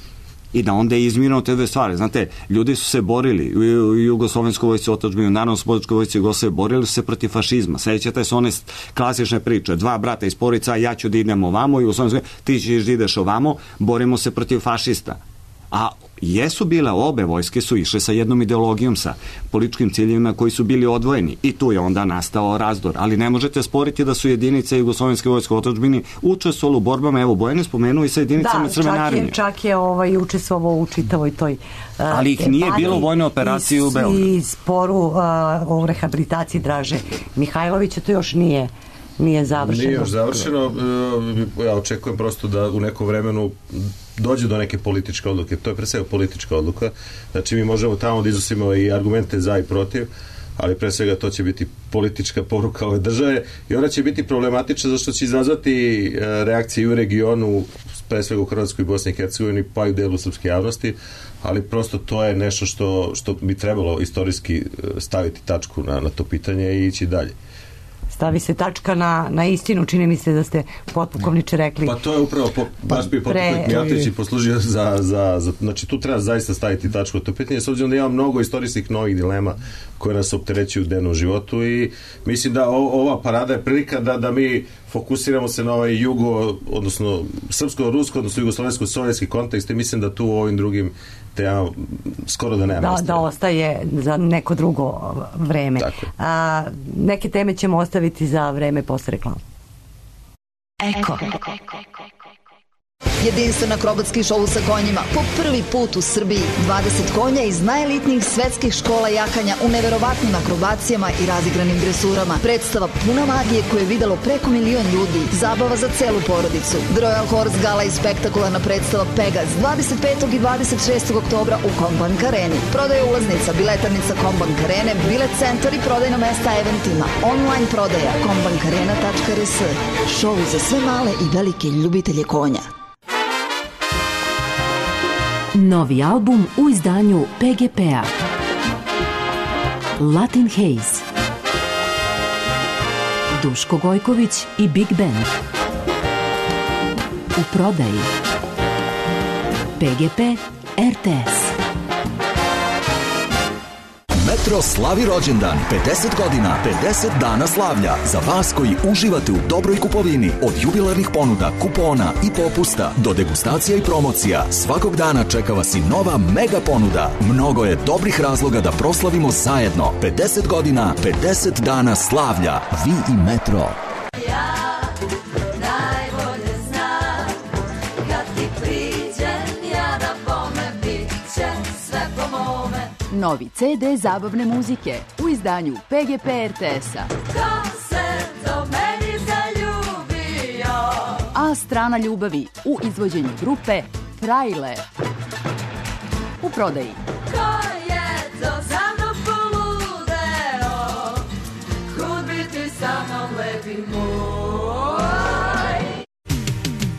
i da onda izmirimo te dve stvari. Znate, ljudi su se borili u Jugoslovenskoj vojsci otadžbine, u Narodno-oslobodilačkoj vojsci Jugoslavije, borili su se protiv fašizma. Sećate se one klasične priče, dva brata iz porodica, ja ću da idem ovamo, i ti ćeš da ideš ovamo, borimo se protiv fašista. A jesu bile, obe vojske su išle sa jednom ideologijom, sa političkim ciljevima koji su bili odvojeni i tu je onda nastao razdor, ali ne možete sporiti da su jedinice Jugoslovenske vojske u otadžbini učestvovale u borbama, evo Bojan je spomenuo i sa jedinicama Crvene armije. Da, čak je ovaj, učestvovao u čitavoj toj uh, ali ih nije bilo vojne operacije u Beogradu. I sporu uh, o rehabilitaciji Draže Mihajlovića, to još nije nije završeno. Nije još završeno. Ja očekujem prosto da u nekom vremenu dođe do neke političke odluke. To je pre svega politička odluka. Znači mi možemo tamo da iznosimo i argumente za i protiv, ali pre svega to će biti politička poruka ove države i ona će biti problematična zašto će izazvati reakcije u regionu, pre svega u Hrvatskoj i Bosni i Hercegovini, pa i u delu srpske javnosti, ali prosto to je nešto što, što bi trebalo istorijski staviti tačku na, na to pitanje i ići dalje. Stavi se tačka na, na istinu, čini mi se da ste potpukovniče rekli. Pa to je upravo, po, baš bi potpukovnik Mijatović i poslužio za, za, za, znači tu treba zaista staviti tačku na to pitanje, s obzirom da ima mnogo istorijskih novih dilema koje nas opterećuju u dnevnom životu i mislim da o, ova parada je prilika da, da mi fokusiramo se na ovaj jugo, odnosno srpsko-rusko, odnosno jugoslovensko-sovjetski kontekst i mislim da tu u ovim drugim tema skoro da nema da, da ostaje za neko drugo vreme. A, neke teme ćemo ostaviti za vreme posle reklama. Eko. Jedinstven akrobatski šou sa konjima po prvi put u Srbiji. dvadeset konja iz najelitnijih svetskih škola jakanja u neverovatnim akrobacijama i razigranim dresurama. Predstava puna magije koju je videlo preko milion ljudi. Zabava za celu porodicu. The Royal Horse Gala i spektakularna predstava Pegas dvadeset petog i dvadeset šestog oktobra u Kombank Areni. Prodaja ulaznica, biletarnica Kombank Arene, bilet centar i prodajno mesta eventima. Online prodaja kombank arena tačka r s. Šou za sve male i velike ljubitelje konja. Novi album u izdanju P G P-a. Latin Haze. Duško Gojković i Big Band. U prodaji. P G P R T S. Metro slavi rođendan, pedeset godina, pedeset dana slavlja. Za vas koji uživate u dobroj kupovini, od jubilarnih ponuda, kupona i popusta do degustacija i promocija, svakog dana čeka vas i nova mega ponuda. Mnogo je dobrih razloga da proslavimo zajedno. pedeset godina, pedeset dana slavlja. Vi i Metro. Novi C D zabavne muzike u izdanju P G P R T S-a. Ko se do meni zaljubio? A strana ljubavi u izvođenju grupe Frajle. U prodaji. Ko je to za mnom poludeo? Kud biti sa mnom lepi moj?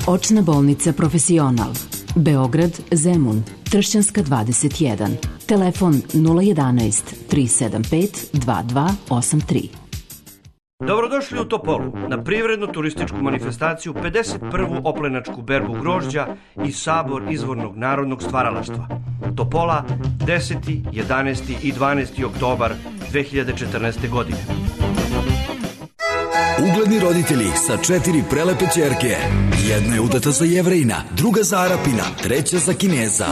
Očna bolnica Profesional. Beograd, Zemun, Tršćanska dvadeset jedan. Telefon nula jedanaest tri sedam pet dva dva osam tri. Dobrodošli u Topolu na privrednu turističku manifestaciju pedeset prvu oplenačku berbu grožđa i sabor izvornog narodnog stvaralaštva. Topola deseti, jedanaesti i dvanaesti oktobar dve hiljade četrnaeste. godine. Ugledni roditelji sa četiri prelepe ćerke. Jedna je udata za Jevrejina, druga za Arapina, treća za Kineza.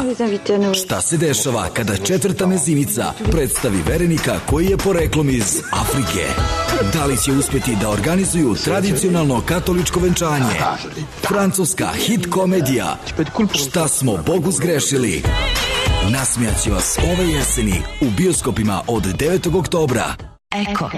Šta se dešava kada četvrta mezinica predstavi verenika koji je poreklom iz Afrike? Da li će uspeti da organizuju tradicionalno katoličko venčanje? Francuska hit komedija Šta smo Bogu zgrešili? Nasmijaće vas ove jeseni u bioskopima od devetog oktobra. Eko.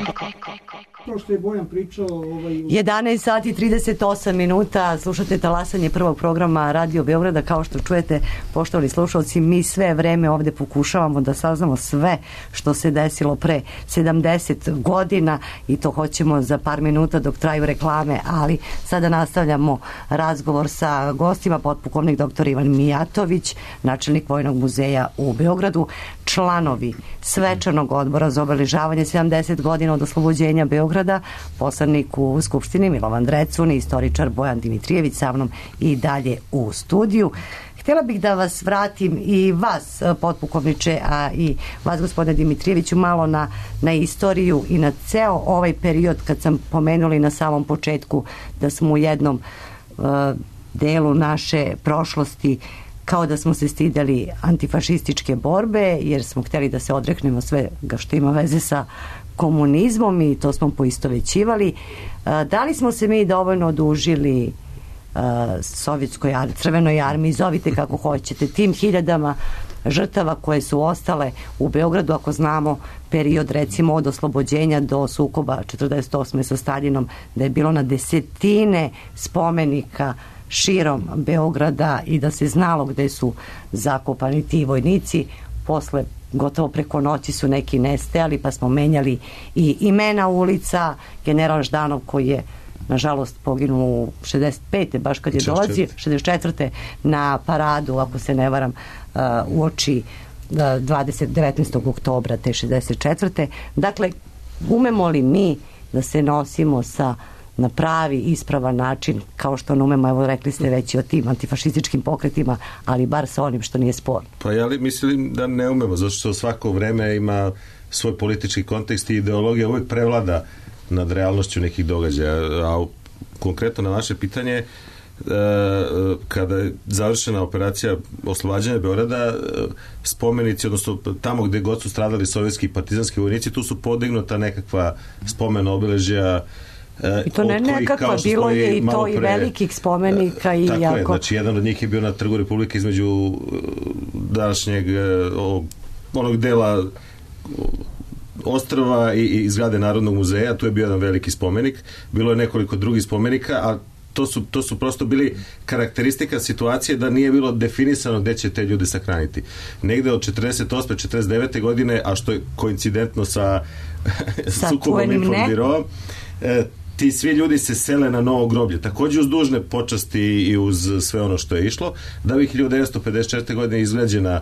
Kao što je Bojan pričao... Ovaj... jedanaest sati i trideset osam minuta, slušate talasanje prvog programa Radio Beograda. Kao što čujete, poštovani slušalci, mi sve vreme ovde pokušavamo da saznamo sve što se desilo pre sedamdeset godina i to hoćemo za par minuta dok traju reklame, ali sada nastavljamo razgovor sa gostima, potpukovnik doktor Ivan Mijatović, načelnik Vojnog muzeja u Beogradu, članovi svečanog odbora za obeležavanje sedamdeset godina od oslobođenja Beograda, poslanik u Skupštini Milovan Drecun i istoričar Bojan Dimitrijević sa mnom i dalje u studiju. Htjela bih da vas vratim i vas, potpukovniče, a i vas, gospodine Dimitrijeviću, malo na, na istoriju i na ceo ovaj period kad sam pomenuli na samom početku da smo u jednom uh, delu naše prošlosti kao da smo se stidali antifašističke borbe jer smo htjeli da se odreknemo svega što ima veze sa komunizmom i to smo poistovećivali. Da li smo se mi dovoljno odužili sovjetskoj armiji, crvenoj armiji, zovite kako hoćete, tim hiljadama žrtava koje su ostale u Beogradu, ako znamo period recimo od oslobođenja do sukoba četrdeset osme sa Staljinom, da je bilo na desetine spomenika širom Beograda i da se znalo gde su zakopani ti vojnici. Posle gotovo preko noći su neki nestajali, pa smo menjali i imena ulica. General Ždanov koji je nažalost poginuo u šezdeset pete baš kad je dolazio šezdeset četvrte na paradu, ako se ne varam, u oči dvadeset devetnaestog oktobra te šezdeset četvrte. Dakle, umemo li mi da se nosimo sa na pravi, ispravan način, kao što ne umemo, evo rekli ste već i o tim antifašističkim pokretima, ali bar sa onim što nije sporno. Pa ja li mislim da ne umemo, zato što svako vreme ima svoj politički kontekst i ideologija uvijek prevlada nad realnošću nekih događaja. A konkretno na vaše pitanje, kada je završena operacija oslobađanja Beograda, spomenici, odnosno tamo gde god su stradali sovjetski i partizanski vojnici, tu su podignuta nekakva spomen obeležja. I to ne nekakva, bilo je i to pre, i velikih spomenika i tako jako... je, znači jedan od njih je bio na Trgu Republike između današnjeg onog dela ostrva i, i zgrade Narodnog muzeja, tu je bio jedan veliki spomenik, bilo je nekoliko drugih spomenika, a to su, to su prosto bili karakteristika situacije da nije bilo definisano gde će te ljude sahraniti. Negde od četrdeset osme četrdeset devete godine, a što je koincidentno sa, sa sukobom Infobiroa, e, ti svi ljudi se sele na novo groblje, takođe uz dužne počasti i uz sve ono što je išlo, da bi hiljadu devetsto pedeset četvrte godine izgrađena,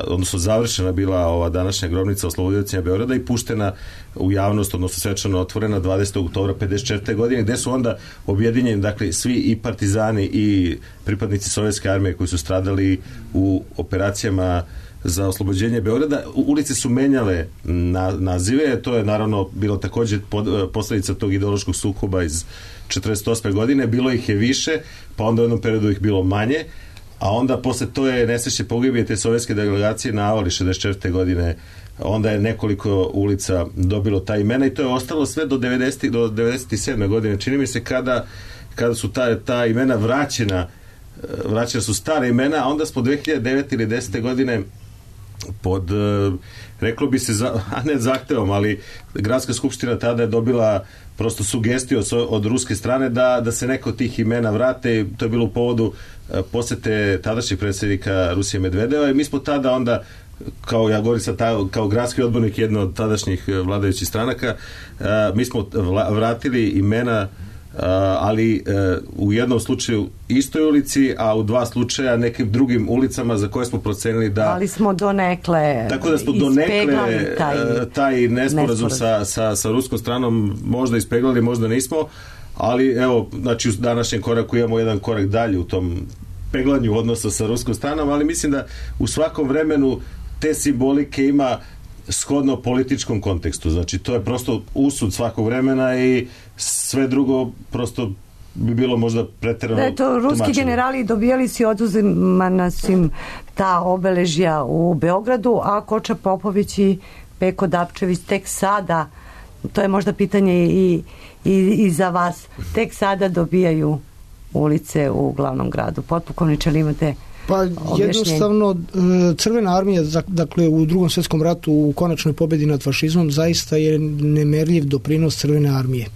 odnosno završena bila ova današnja grobnica oslobodioca Beograda i puštena u javnost, odnosno svečano otvorena dvadesetog oktobra pedeset četvrte godine, gde su onda objedinjeni, dakle, svi i partizani i pripadnici sovjetske armije koji su stradali u operacijama za oslobođenje Beograda. Ulice su menjale na, nazive, to je naravno bilo takođe pod, posledica tog ideološkog sukoba iz četrdeset osme godine, bilo ih je više, pa onda u jednom periodu ih bilo manje, a onda posle to je nesreće pogibije te sovjetske delegacije na Avali šezdeset četvrte godine, onda je nekoliko ulica dobilo ta imena i to je ostalo sve do devedesetih do devedeset sedme godine. Čini mi se kada, kada su ta, ta imena vraćena, vraćena su stare imena, a onda smo dve hiljade devete ili desete godine pod, reklo bi se, a ne zahtevom, ali Gradska skupština tada je dobila prosto sugestiju od, od ruske strane da, da se neko od tih imena vrate. To je bilo u povodu posete tadašnjeg predsjednika Rusije Medvedeva i mi smo tada onda, kao ja govorim sad, kao gradski odbornik jedno od tadašnjih vladajućih stranaka, mi smo vratili imena, ali u jednom slučaju istoj ulici, a u dva slučaja nekim drugim ulicama za koje smo procenili da... Ali smo donekle tako da smo donekle taj, taj nesporazum sa, sa, sa ruskom stranom možda ispeglali, možda nismo, ali evo, znači u današnjem koraku imamo jedan korak dalje u tom peglanju odnosa sa ruskom stranom, ali mislim da u svakom vremenu te simbolike ima shodno političkom kontekstu. Znači, to je prosto usud svakog vremena i sve drugo prosto bi bilo možda preterano da je to ruski tumačenje. generali dobijali si oduzimana su im ta obeležja u Beogradu, a Koča Popović i Peko Dapčević tek sada, to je možda pitanje i, i, i za vas, tek sada dobijaju ulice u glavnom gradu. Potpukovniče, ali imate Pa objašnjenje? Jednostavno, Crvena armija, dakle u Drugom svjetskom ratu u konačnoj pobjedi nad fašizmom zaista je nemerljiv doprinos Crvene armije.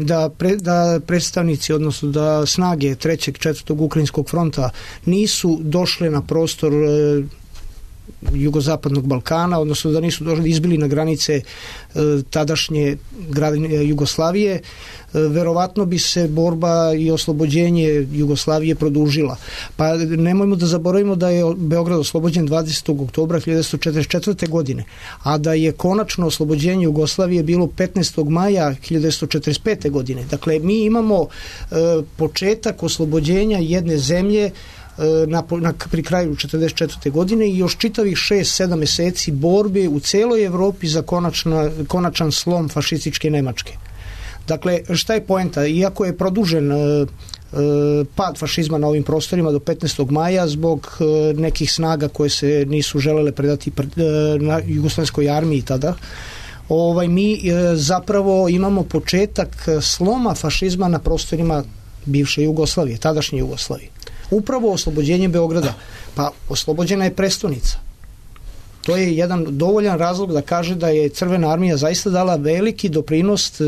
Da, pre, da predstavnici, odnosno da snage trećeg, četvrtog Ukrajinskog fronta nisu došle na prostor e, jugozapadnog Balkana, odnosno da nisu došli, izbili na granice e, tadašnje grane Jugoslavije, e, verovatno bi se borba i oslobođenje Jugoslavije produžila. Pa nemojmo da zaboravimo da je Beograd oslobođen dvadesetog oktobra hiljadu devetsto četrdeset četvrte. godine, a da je konačno oslobođenje Jugoslavije bilo petnaestog maja hiljadu devetsto četrdeset pete. godine. Dakle, mi imamo e, početak oslobođenja jedne zemlje Na, na, pri kraju četrdeset četvrte. godine i još čitavih šest sedam meseci borbe u celoj Evropi za konačna, konačan slom fašističke Nemačke. Dakle, šta je poenta? Iako je produžen e, e, pad fašizma na ovim prostorima do petnaestog maja zbog e, nekih snaga koje se nisu želele predati pr, e, na jugoslovenskoj armiji tada, ovaj, mi e, zapravo imamo početak sloma fašizma na prostorima bivše Jugoslavije, tadašnje Jugoslavije. Upravo oslobođenjem Beograda. Pa oslobođena je prestonica. To je jedan dovoljan razlog da kaže da je Crvena armija zaista dala veliki doprinos e,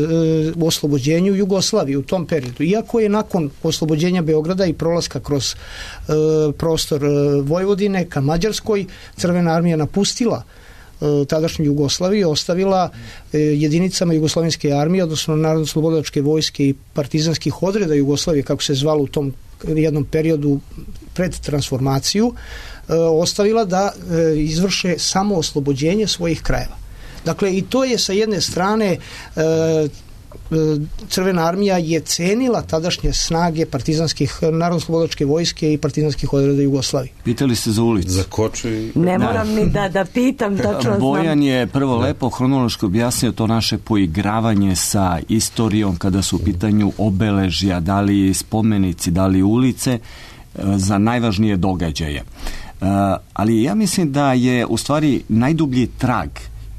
u oslobođenju Jugoslavije u tom periodu. Iako je nakon oslobođenja Beograda i prolaska kroz e, prostor e, Vojvodine ka Mađarskoj, Crvena armija napustila e, tadašnju Jugoslaviju, ostavila e, jedinicama Jugoslovenske armije, odnosno Narodno-slobodilačke vojske i partizanskih odreda Jugoslavije, kako se zvalo u tom jednom periodu pred transformaciju, e, ostavila da e, izvrše samo oslobođenje svojih krajeva. Dakle, i to je sa jedne strane e, Crvena armija je cenila tadašnje snage partizanskih, Narodno-slobodilačke vojske i partizanskih odreda Jugoslavije. Pitali ste za ulicu. Za Koču i... Ne moram ni da, da pitam, tačno Bojan je prvo lepo hronološki objasnio to naše poigravanje sa istorijom kada su u pitanju obeležja, da li spomenici, da li ulice, za najvažnije događaje. Ali ja mislim da je u stvari najdublji trag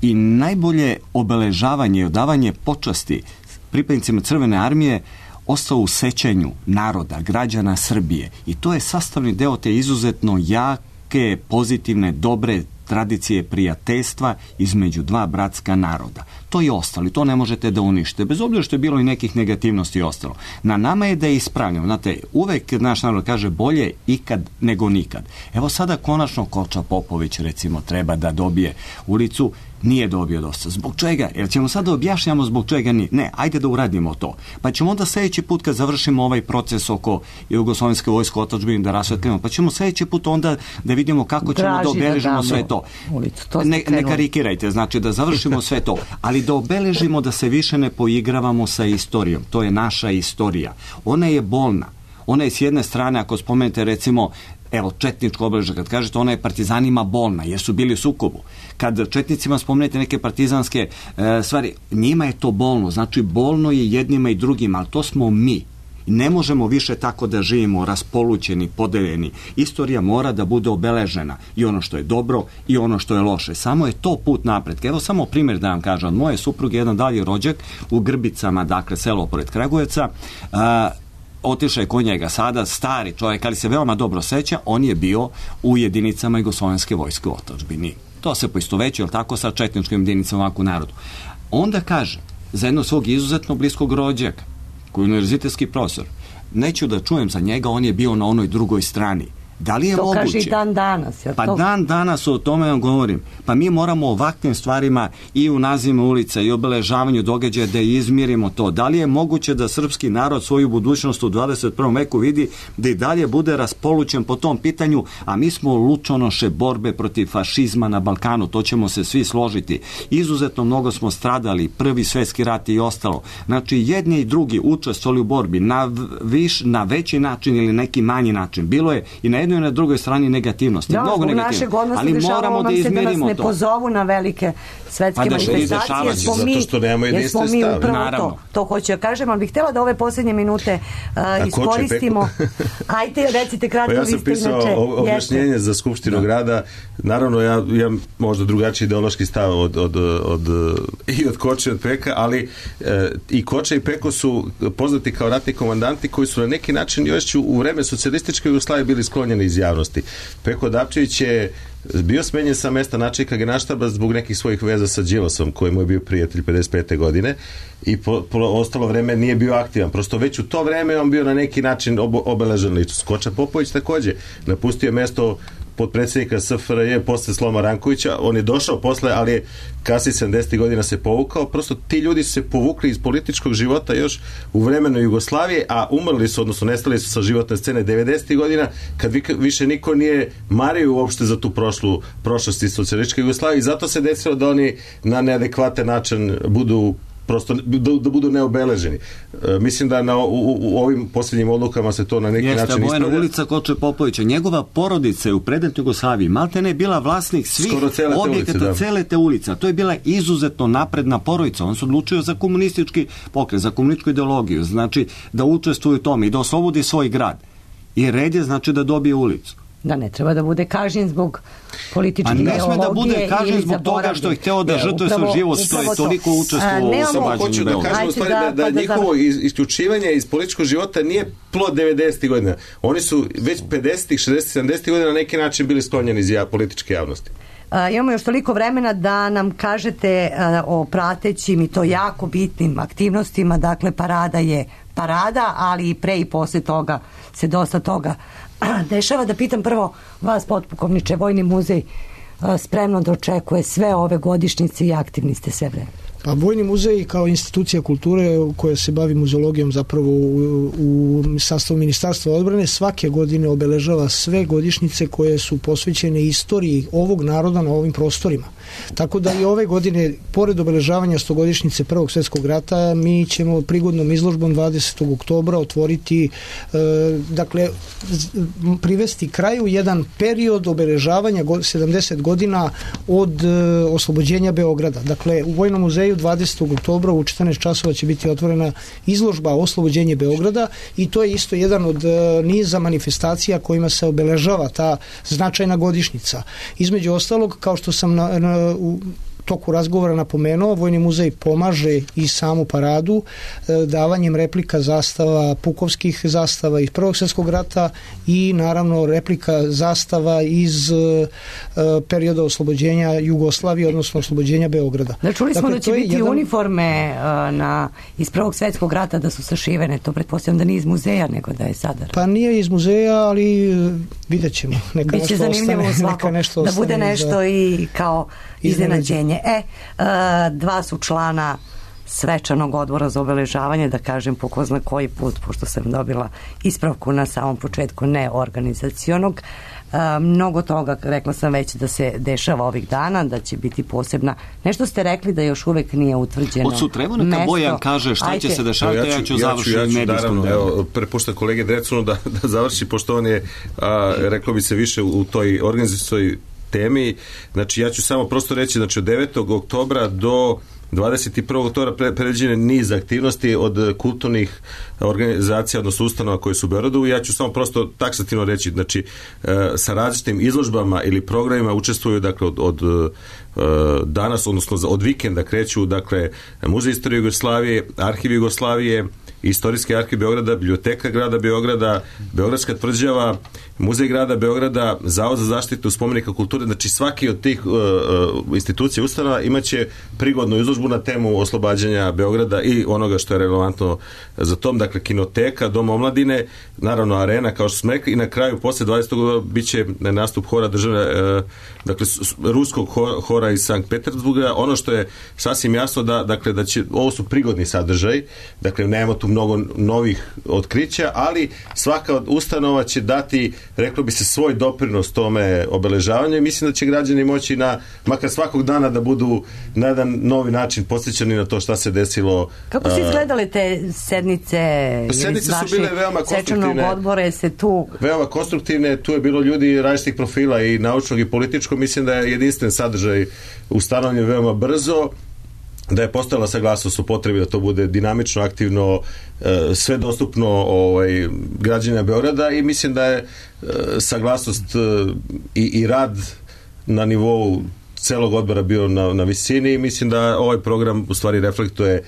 i najbolje obeležavanje i odavanje počasti pripadnicima Crvene armije ostao u sećanju naroda, građana Srbije. I to je sastavni deo te izuzetno jake, pozitivne, dobre tradicije prijateljstva između dva bratska naroda. To je ostalo i to ne možete da uništite, bez obzira što je bilo i nekih negativnosti i ostalo. Na nama je da je ispravljamo. Znate, uvek naš narod kaže bolje ikad nego nikad. Evo sada konačno Koča Popović recimo treba da dobije ulicu, nije dobio dosta. Zbog čega? Jer ćemo sada objašnjamo zbog čega nije. Ne, ajde da uradimo to. Pa ćemo onda sljedeći put kad završimo ovaj proces oko Jugoslovenske vojske otadžbine da rasvetlimo, pa ćemo sljedeći put onda da vidimo kako ćemo Draži da obeležimo da sve to. Ulicu, to ne, ne karikirajte, znači da završimo sve to, ali da obeležimo da se više ne poigravamo sa istorijom. To je naša istorija. Ona je bolna. Ona je s jedne strane, ako spomenete recimo evo, četničko obeležje, kad kažete ona je partizanima bolna, jer su bili u sukobu. Kad četnicima spomenete neke partizanske e, stvari, njima je to bolno, znači bolno je jednima i drugima, ali to smo mi. Ne možemo više tako da živimo raspolućeni, podeljeni. Istorija mora da bude obeležena i ono što je dobro i ono što je loše. Samo je to put napred. Evo samo primjer da vam kažem. Od moje supruge jedan dalji rođak u Grbicama, dakle selo pored Kragujevca, a, otišao je kod njega sada, stari čovjek, ali se veoma dobro seća, on je bio u jedinicama Jugoslovenske vojske u otadžbini. To se poistovećuje, tako, sa četničkim jedinicama ovako u narodu. Onda kaže, za jednog svog izuzetno bliskog rođaka, koji je univerzitetski profesor, neću da čujem za njega, on je bio na onoj drugoj strani. Da li je to moguće? To kaže i dan danas. Pa to... dan danas o tome vam govorim. Pa mi moramo ovakvim stvarima i u nazivima ulica i obeležavanju događaja da izmirimo to. Da li je moguće da srpski narod svoju budućnost u dvadeset prvom veku vidi da i dalje bude raspolućen po tom pitanju, a mi smo lučonoše borbe protiv fašizma na Balkanu, to ćemo se svi složiti. Izuzetno mnogo smo stradali, prvi svetski rat i ostalo. Znači jedni i drugi učestvovali u borbi na, viš, na veći način ili neki manji način. Bilo je i na jednoj i na drugoj strani negativnosti. Da, mnogo u negativnosti. našeg odnosa ali dešavalo moramo nam da se da nas izmerimo ne to. pozovu na velike svetske Pa da, manifestacije, jer smo mi, zato što nemamo jer smo jedinstven mi stav. upravo Naravno. to, to hoću da kažem, ali bih htjela da ove posljednje minute uh, iskoristimo. Ajte, recite kratko, Pa ja vi sam ste pisao inače... o- objašnjenje za Skupštinu grada. Naravno, ja imam možda drugačiji ideološki stav od, od, od, i od Koče i od Peka, ali e, i Koče i Peko su poznati kao ratni komandanti koji su na neki način još u vreme socijalističke Jugoslavije bili sklonjeni iz javnosti. Peko Dapčević je bio smenjen sa mesta načelnika Generalštaba zbog nekih svojih veza sa Đilasom, koji mu je bio prijatelj pedeset pete godine i po, po ostalo vreme nije bio aktivan. Prosto već u to vreme on bio na neki način ob, obeležen ličnost. Koča Popović takođe napustio mesto potpredsjednika S F R J posle sloma Rankovića, on je došao posle, ali je kasnije sedamdesetih godina se povukao, prosto ti ljudi su se povukli iz političkog života još u vremenu Jugoslavije, a umrli su, odnosno nestali su sa životne scene devedesetih godina, kad vi, više niko nije mario uopšte za tu prošlu prošlost iz socijalističke Jugoslavije i zato se desilo da oni na neadekvatan način budu prosto da, da budu neobeleženi. E, mislim da na, u, u ovim posljednjim odlukama se to na neki Jeste, način Bojana ispravlja. ulica Koče Popovića. Njegova porodica je u predetnoj Jugoslaviji maltene je bila vlasnik svih objekata cele te ulice. To je bila izuzetno napredna porodica. On se odlučio za komunistički pokret, za komunističku ideologiju. Znači da učestvuje u tome i da oslobodi svoj grad. I red je znači da dobije ulicu. Da ne treba da bude kažnjen zbog političke ideologije. A ne sme da bude kažnjen zbog toga što je hteo da žrtve svoj život, što je toliko učestvovao u oslobađanju Beograda. Da kažem u stvari da, da, da njihovo isključivanje iz političkog života nije plod devedesetih godina. Oni su već pedesetih, šezdesetih, sedamdesetih godina na neki način bili sklonjeni iz političke javnosti. Uh, imamo još toliko vremena da nam kažete uh, o pratećim i to jako bitnim aktivnostima. Dakle, parada je parada, ali i pre i posle toga se dosta toga dešava. Da pitam prvo vas, potpukovniče, Vojni muzej uh, spremno da očekuje sve ove godišnjice i aktivni ste sve vreme. Pa Vojni muzej kao institucija kulture koja se bavi muzeologijom zapravo u, u sastavu Ministarstva odbrane svake godine obeležava sve godišnjice koje su posvećene istoriji ovog naroda na ovim prostorima. Tako da i ove godine, pored obeležavanja stogodišnjice Prvog svjetskog rata, mi ćemo prigodnom izložbom dvadesetog oktobra otvoriti, e, dakle, privesti kraju jedan period obeležavanja sedamdeset godina od e, oslobođenja Beograda. Dakle, u Vojnom muzeju dvadesetog oktobra u četrnaest časova će biti otvorena izložba Oslobođenje Beograda i to je isto jedan od e, niza manifestacija kojima se obeležava ta značajna godišnjica. Između ostalog, kao što sam na, na u toku razgovora napomenuo, Vojni muzej pomaže i samu paradu e, davanjem replika zastava, pukovskih zastava iz Prvog svjetskog rata i naravno replika zastava iz e, perioda oslobođenja Jugoslavije, odnosno oslobođenja Beograda. Da, čuli smo dakle, da će biti jedan... uniforme uh, na, iz Prvog svjetskog rata da su sašivene, to pretpostavljam da nije iz muzeja nego da je sada. Pa nije iz muzeja, ali vidjet ćemo. Neka Biće nešto zanimljivo ostane, svako, neka nešto da bude ostane nešto za... i kao iznenađenje. E, uh, dva su člana svečanog odbora za obeležavanje, da kažem po ko zna koji put, pošto sam dobila ispravku na samom početku neorganizacionog. Uh, mnogo toga, rekla sam već, da se dešava ovih dana, da će biti posebna. Nešto ste rekli da još uvek nije utvrđeno od sutra, evo neka Bojan kaže šta Ajte. će se dešavati, ja ću, ja ću završiti ja ću, medijskom delu. Evo, prepuštam kolege Drecunu da, da završi, pošto on je, a, reklo bi se više u toj organizacijoj temi. Znači, ja ću samo prosto reći, znači, od devetog oktobra do dvadeset prvog oktobra predviđene niz aktivnosti od kulturnih organizacija, odnosno ustanova koje su u Beogradu. Ja ću samo prosto taksativno reći, znači, sa različitim izložbama ili programima učestvuju, dakle, od, od danas, odnosno od vikenda kreću, dakle, Muzej istorije Jugoslavije, Arhiv Jugoslavije, Istorijski arhiv Beograda, Biblioteka grada Beograda, Beogradska tvrđava, Muzej grada Beograda, Zavod za zaštitu spomenika kulture, znači svaki od tih uh, institucija ustanova imaće prigodnu izložbu na temu oslobađanja Beograda i onoga što je relevantno za tom, dakle kinoteka, Dom omladine, naravno arena, kao što smo rekli, i na kraju posle dvadesetog biće nastup hora državne, uh, dakle ruskog hora iz Sankt Petersburga. Ono što je sasvim jasno da, dakle, da će, ovo su prigodni sadržaj, dakle nemamo tu mnogo novih otkrića, ali svaka od ustanova će dati, reklo bi se, svoj doprinos tome obeležavanju i mislim da će građani moći na, makar svakog dana da budu na jedan novi način podsjećani na to šta se desilo. Kako su izgledale te sednice? Sednice su bile veoma konstruktivne. Odbore se tu... Veoma konstruktivne, tu je bilo ljudi različitih profila i naučnog i političkog, mislim da je jedinstven sadržaj ustanovljen veoma brzo, da je postojala saglasnost o potrebi da to bude dinamično, aktivno, sve dostupno ovaj, građanima Beograda i mislim da je saglasnost i, i rad na nivou celog odbora bio na, na visini i mislim da ovaj program u stvari reflektuje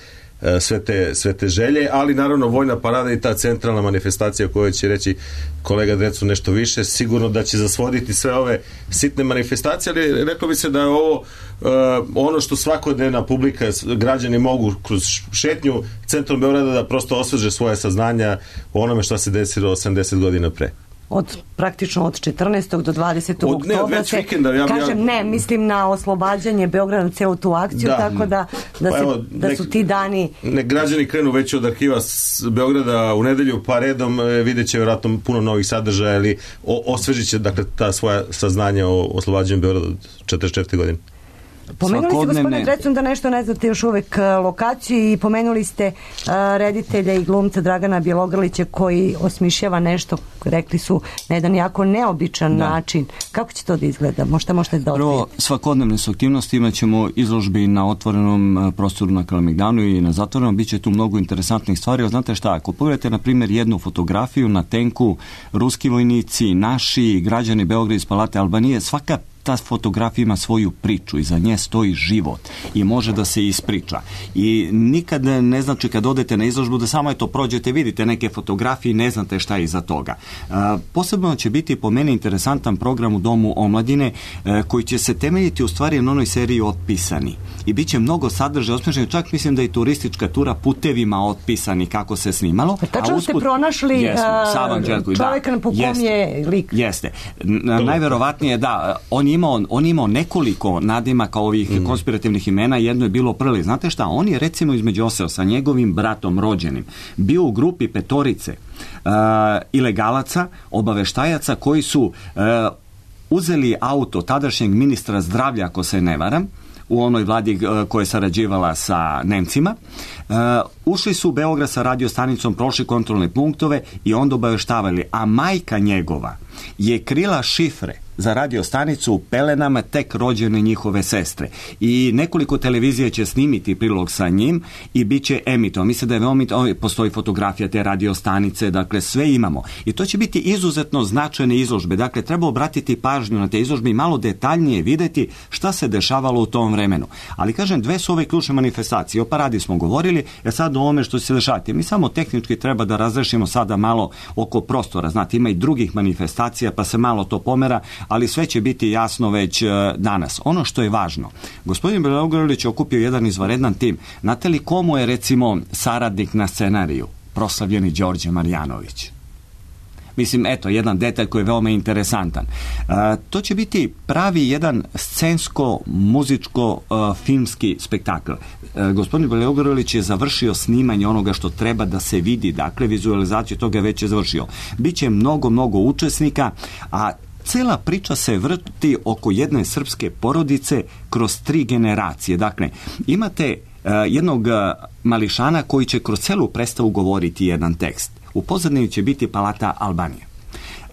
sve te, sve te želje, ali naravno vojna parada i ta centralna manifestacija o kojoj će reći kolega Drecu nešto više, sigurno da će zasvoditi sve ove sitne manifestacije, ali reklo bi se da je ovo uh, ono što svakodnevna publika, građani mogu kroz šetnju centrom Beograda da prosto osveže svoje saznanja o onome što se desilo osamdeset godina pre. Od praktično od četrnaestog do dvadesetog od, ne, oktobra se, vikenda, ja, kažem ja, ne, mislim na oslobađanje Beograda na celu tu akciju, da, tako da, da, pa se, evo, da nek, su ti dani... Nek građani krenu već od arhiva s Beograda u nedelju, pa redom vidjet će vjerojatno puno novih sadržaja, ili osvežit će dakle, ta svoja saznanja o oslobađanju Beograda od četrdeset četvrte godine. Pomenuli ste, gospodine Drecun, da nešto ne znate još uvek lokaciju i pomenuli ste uh, reditelja i glumca Dragana Bjelogrlića koji osmišljava nešto, rekli su, na jedan jako neobičan da. način. Kako će to da izgleda? Možda možete da Prvo, svakodnevne su aktivnosti, imat ćemo izložbi na otvorenom prostoru na Kalemegdanu i na zatvorenom, bit će tu mnogo interesantnih stvari. Znate šta, ako pogledate, na primjer, jednu fotografiju na tenku, ruski vojnici, naši, građani Beograda iz Palate Albanije, svaka ta fotografija ima svoju priču, iza nje stoji život i može da se ispriča. I nikad ne znači kad odete na izložbu da samo eto prođete, vidite neke fotografije i ne znate šta je iza toga. E, posebno će biti po meni interesantan program u Domu omladine e, koji će se temeljiti u stvari na onoj seriji Otpisani. I bit će mnogo sadržaja osmišljeno, čak mislim da i turistička tura putevima otpisani kako se snimalo. Pa tačno usput, ste pronašli jesmo, uh, čovjeka na po kom je lik. Jeste. Najverovatnije da, on je imao, on je imao nekoliko nadimaka ovih mm. konspirativnih imena, jedno je bilo Prli. Znate šta, on je recimo između ostalog sa njegovim bratom rođenim bio u grupi petorice uh, ilegalaca, obaveštajaca koji su uh, uzeli auto tadašnjeg ministra zdravlja, ako se ne varam, u onoj vladi uh, koja je sarađivala sa Nemcima. Uh, ušli su u Beograd sa radiostanicom, prošli kontrolne punktove i onda obaveštavali, a majka njegova je krila šifre za radiostanicu u pelenama tek rođene njihove sestre. I nekoliko televizija će snimiti prilog sa njim i bit će emito. Mislim da je veoma, postoji fotografija te radiostanice, dakle sve imamo. I to će biti izuzetno značajne izložbe. Dakle, treba obratiti pažnju na te izložbe i malo detaljnije videti šta se dešavalo u tom vremenu. Ali kažem, dve su ove ključne manifestacije. O paradi smo govorili, jer sad o ovome što će se dešavati. Mi samo tehnički treba da razrešimo sada malo oko prostora. Znate, ima i drugih manifestacija, pa se malo to pomera, ali sve će biti jasno već danas. Ono što je važno, gospodin Bjelogrlić je okupio jedan izvanredan tim. Znate li komu je recimo saradnik na scenariju? Proslavljeni Đorđe Marjanović. Mislim, eto, jedan detalj koji je veoma interesantan. E, to će biti pravi jedan scensko-muzičko-filmski spektakl. E, gospodin Bjelogrlić je završio snimanje onoga što treba da se vidi, dakle, vizualizaciju toga već je završio. Biće mnogo, mnogo učesnika, a cela priča se vrti oko jedne srpske porodice kroz tri generacije. Dakle, imate uh, jednog uh, mališana koji će kroz celu predstavu govoriti jedan tekst. U pozadini će biti Palata Albanije.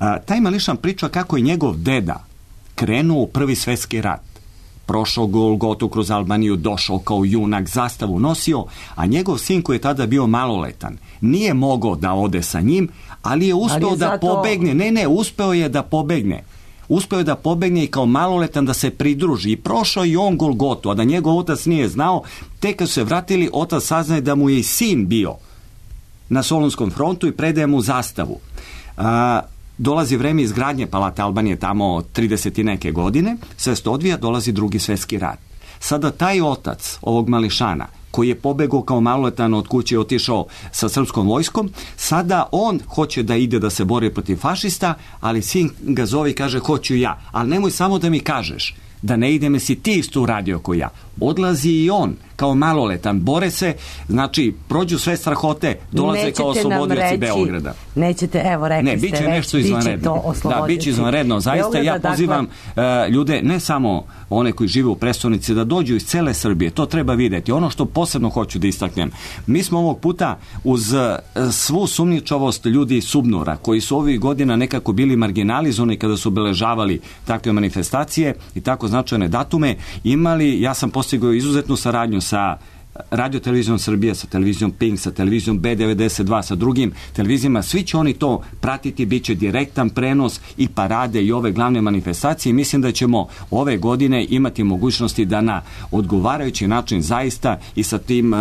Uh, taj mališan priča kako je njegov deda krenuo u Prvi svetski rat. Prošao Golgotu kroz Albaniju, došao kao junak, zastavu nosio, a njegov sin koji je tada bio maloletan nije mogao da ode sa njim, ali je uspeo ali je da zato... pobegne. Ne, ne, uspeo je da pobegne. Uspeo je da pobegne i kao maloletan da se pridruži. I prošao i on Golgotu, a da njegov otac nije znao, tek kad su se vratili, otac saznaje da mu je i sin bio na Solunskom frontu i predaje mu zastavu. A, dolazi vreme izgradnje Palate Albanije tamo trideset i neke godine, sve se to odvija, dolazi Drugi svjetski rat. Sada taj otac ovog mališana koji je pobegao kao maloletan od kuće i otišao sa srpskom vojskom, sada on hoće da ide da se bori protiv fašista, ali sin ga zove i kaže hoću ja, ali nemoj samo da mi kažeš da ne idem, si ti isto uradio ko ja. Odlazi i on kao maloletan. Bore se, znači, prođu sve strahote, dolaze Nećete kao oslobodioci reći, Beograda. Nećete, evo rekli ne, ste biće već, nešto biće izvanredno. to oslobodioci. Da, biće izvanredno. Zaista Beograda, ja pozivam dakle, uh, ljude, ne samo one koji žive u prestonici, da dođu iz cele Srbije. To treba videti. Ono što posebno hoću da istaknem. Mi smo ovog puta uz uh, svu sumnjičavost ljudi iz Subnora, koji su ovih godina nekako bili marginalizovani kada su obeležavali takve manifestacije i tako značajne datume, imali, ja sam postigao izuzetnu saradnju sa Radio televizijom Srbije, sa televizijom Pink, sa televizijom B devedeset dva, sa drugim televizijama, svi će oni to pratiti, bit će direktan prenos i parade i ove glavne manifestacije i mislim da ćemo ove godine imati mogućnosti da na odgovarajući način zaista i sa tim uh,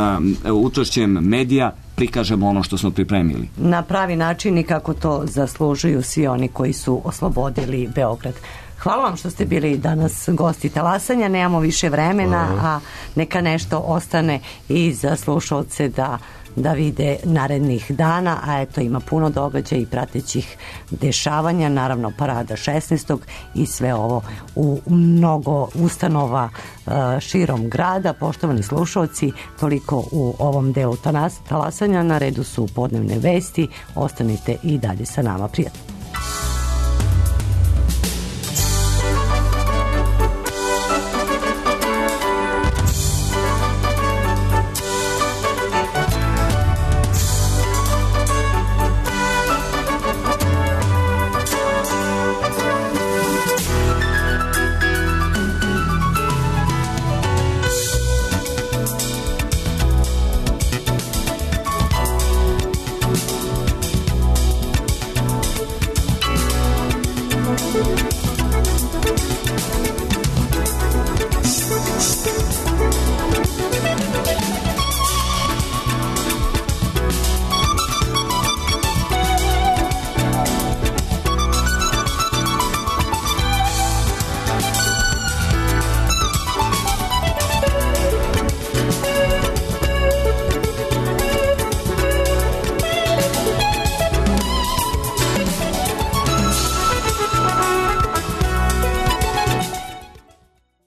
učešćem medija prikažemo ono što smo pripremili. Na pravi način i kako to zaslužuju svi oni koji su oslobodili Beograd. Hvala vam što ste bili danas gosti Talasanja, nemamo više vremena, a neka nešto ostane i za slušalce da, da vide narednih dana, a eto ima puno događaja i pratećih dešavanja, naravno parada šesnaestog i sve ovo u mnogo ustanova uh, širom grada. Poštovani slušalci, toliko u ovom delu Talasanja, na redu su podnevne vesti, ostanite i dalje sa nama, prijatno.